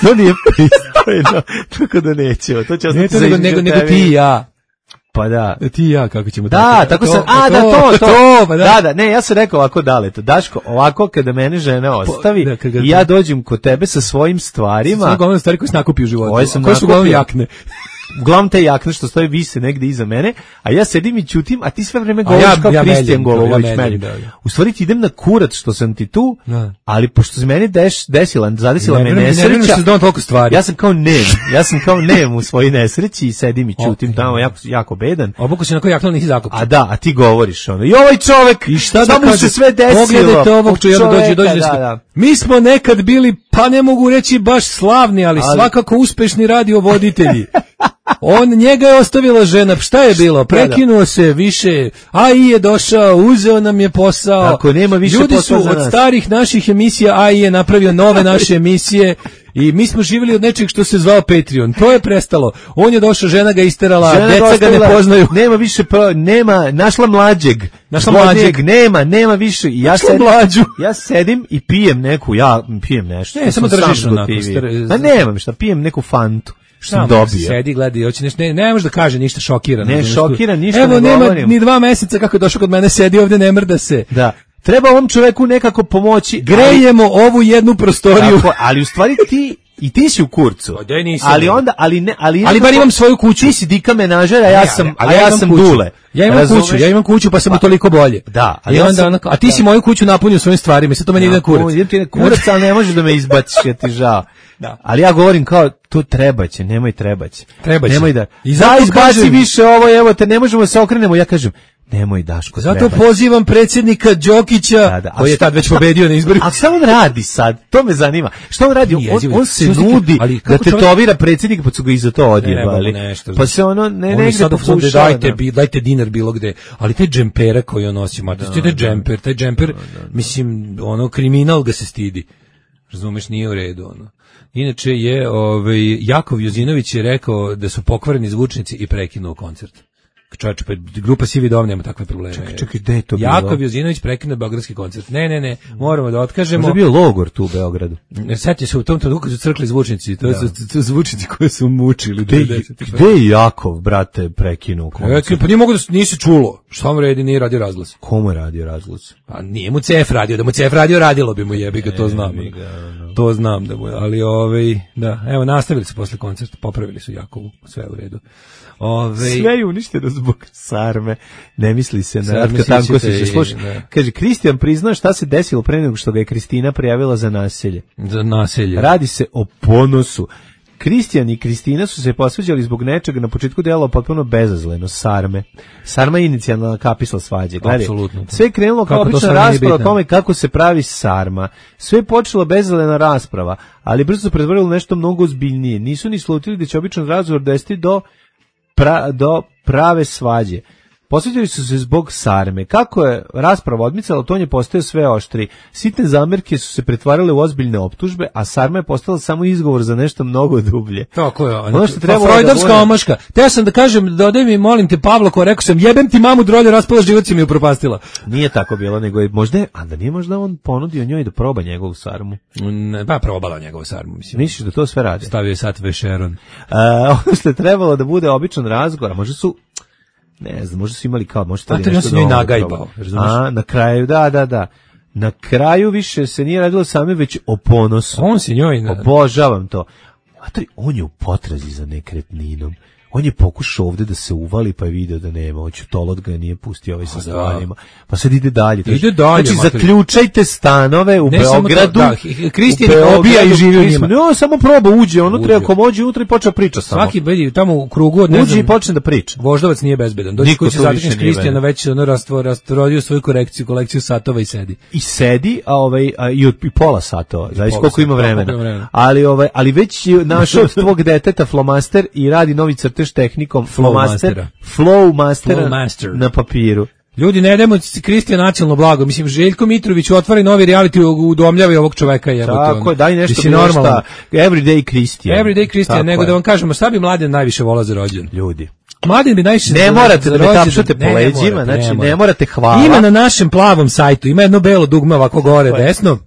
To nije pristojno. Tako da nećemo. To će ostati za nego ti i ja. Pa da. Ti i ja, kako ćemo tako sam, to. Ne, ja sam rekao ovako Daleto, Daško, ovako kada mene žena ostavi i ja dođem kod tebe sa svojim stvarima. Sve uglavnom stvari koje se nakupi u životu. Koje su uglavnom jakne. Uglavnom te jakne što stoje vise negde iza mene, a ja sedim i ćutim, a ti sve vreme govoriš kao Kristijan Golovović meni. U stvari ti idem na kurac što sam ti tu, ali pošto se meni zadesila me nesreća, ja sam kao nem u svojoj nesreći i sedim i ćutim tamo, jako bedan. Obuku se na koji jakno nisi zakupio. A ti govoriš ono, i ovaj čovek, i šta da mu se sve desilo. Pogledajte ovog dođe. Mi smo nekad bili, pa ne mogu reći baš slavni, ali svakako uspešni radiovoditelji. Njega je ostavila žena, šta je bilo? Prekinuo se više, AI je došao, uzeo nam je posao. Ako nema više ljudi su od starih naših emisija, AI je napravio nove naše emisije i mi smo živjeli od nečeg što se zvao Patreon. To je prestalo. On je došao, žena ga isterala, djeca ga ne poznaju. Nema više, našla mlađeg, nema više. Ja sedim i pijem pijem nešto. Ne, samo držiš onako. Nemam šta, pijem neku fantu. Što sam dobio. Sedi, gledi, hoće nešto, ne može da kaže ništa šokiran. Ne šokiran, ništa ne govorim. Evo, nema ni 2 meseca kako je došao kod mene, sedi ovdje, ne mrda se. Da. Treba ovom čoveku nekako pomoći. Grejemo ovu jednu prostoriju. Tako, ali u stvari ti si u kurcu. Ali bar imam svoju kuću. Ti si dika menažer, a ja sam Dule. Ja imam kuću, pa sam toliko bolje. Da. A ti si moju kuću napunio svojim stvarima, sad to meni ide kurac. Idem ti na kurac, ali ne možeš da me izbaciš, ja ti žao. Da. Ali ja govorim kao, to trebaće, nemoj trebać. Nemoj da. Izbaci više ovo, evo te, ne možemo se okrenemo. Ja kažem, nemoj Daško. Zato pozivam predsjednika Đokića, koji je tad već pobedio na izborima. A šta on radi sad? To me zanima. Šta on radi? On se nudi da tetovira predsjednika, pa su ga i za to odjebali. Pa se ono negde pokušava. Dajte dinar bilo gde. Ali taj džempera koji on nosi, taj džemper, mislim, ono kriminal ga se stidi. Razumeš, nije u redu, ono. Inače je, Jakov Jozinović je rekao da su pokvareni zvučnici i prekinuo koncert. Čovječe, pa grupa Sivi dom nema takve probleme. Čekaj, gde je to bilo? Jakov Jozinović prekinuo beogradski koncert. Ne, moramo da otkažemo. Možda je bio logor tu u Beogradu. Sjetio se u tom trenutku kad su crkli zvučnici, to su zvučnici koje su mučili. Gde je Jakov, brate, prekinuo koncert? Pa nije mogu da nisi čulo. Šta vam redi, nije radio razglas. Komu je radio razglas? Pa nije mu CF radio, da mu CF radio radilo bi mu jebi ga, to znam. To znam da mu je, ali da, evo nastavili su posle koncerta, popravili su Jakovu, sve u redu. Sve je uništeno zbog sarme. Ne misli se na Ratka Tankosića. Slušaj, kaže, Kristijan prizna šta se desilo pre nego što ga je Kristina prijavila za nasilje. Za nasilje. Radi se o ponosu. Kristijan i Kristina su se posvađali zbog nečega, na početku delo potpuno bezazleno, sarme. Sarma je inicijalna kapisla svađe. Gledaj, sve je krenulo kao obična rasprava o tome kako se pravi sarma. Sve je počela bezazlena rasprava, ali brzo se pretvorilo nešto mnogo ozbiljnije. Nisu ni slutili da će običan razgovor dovesti do prave svađe. Posveđali su se zbog sarme. Kako je rasprava odmicala, ton je postao sve oštri. Sitne zamerke su se pretvarale u ozbiljne optužbe, a sarma je postala samo izgovor za nešto mnogo dublje. Tako je. Ono što treba Freudovska omaška. Teo sam da kažem, dodaj mi, molim te, Pavlo, ko rekao sam, jebem ti mamu drolje, raspala život si mi upropastila. Nije tako bilo, nego je možda, a da nije možda on ponudio njoj da proba njegovu sarmu. Pa probala njegovu sarmu, mislim. Misliš da to sve radi? Stavio je sat vešeron. Ono što je trebalo da bude običan razgovor, možda su ne znam, možda su imali kao, možda to nešto novo. Nagajbao, na kraju, da. Na kraju više se nije radilo same, već o ponosu. On se njoj... Obožavam to. On je u potrazi za nekretninom. On je pokušao ovde da se uvali, pa je video da nema. Tolot ga nije pustio sa stvarima. Pa sad ide dalje. Znači, zaključajte stanove u Beogradu. Kristijan obija i živi u njima. No, samo proba, uđe unutra, ako može unutra i počne priča samo. Svaki bedi tamo u krugu od uđe i počne da priča. Voždovac nije bezbedan. Dođi kući zatekneš Kristijana, već rastorio svoju kolekciju satova i sedi. I sedi, i pola satova. Zavis koliko ima vremena. Ali već je našao od tvog deteta flomaster i radi novi crtež tehnikom Flowmastera na papiru. Ljudi, ne dajmo Kristijan nacionalno blago. Mislim, Željko Mitrović otvori novi reality, udomljava ovog čoveka. Tako je, daj nešto normalno. Everyday Kristijan, nego da vam kažemo, šta bi Mladen najviše volao za rođendan? Ljudi. Mladen bi najviše ne morate da me tapšate po leđima, znači ne morate hvala. Ima na našem plavom sajtu, ima jedno belo dugme ovako gore, desno.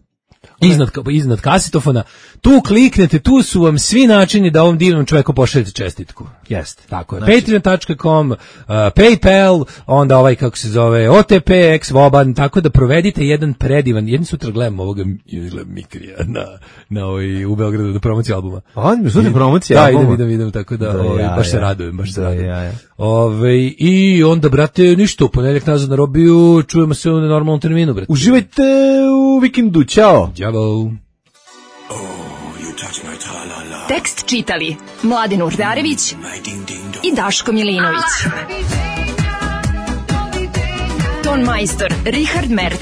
Iznad kasetofona, tu kliknete, tu su vam svi načini da ovom divnom čoveku pošaljete čestitku. Jeste. Tako je. Znači, Patreon.com, PayPal, onda kako se zove, OTP, Voban, tako da provedite jedan predivan, jedni sutra gledam ovoga Mikrija u Beogradu da promocija albuma. On sutra promocija albuma? Da, idem, tako da baš se radujem. I onda, brate, ništa, u ponedjeljak nazad na Robiju, čujemo se u normalnom terminu, brate. Uživajte u vikendu, ćao! Đavo. Tekst čitali Mladen Urdarević i Daško Milinović. Ton majstor Richard Merc.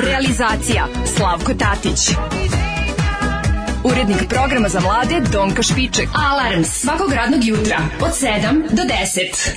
Realizacija Slavko Tatić. Urednik programa za mlade Donka Špiček. Alarms svakog radnog jutra od 7 do 10.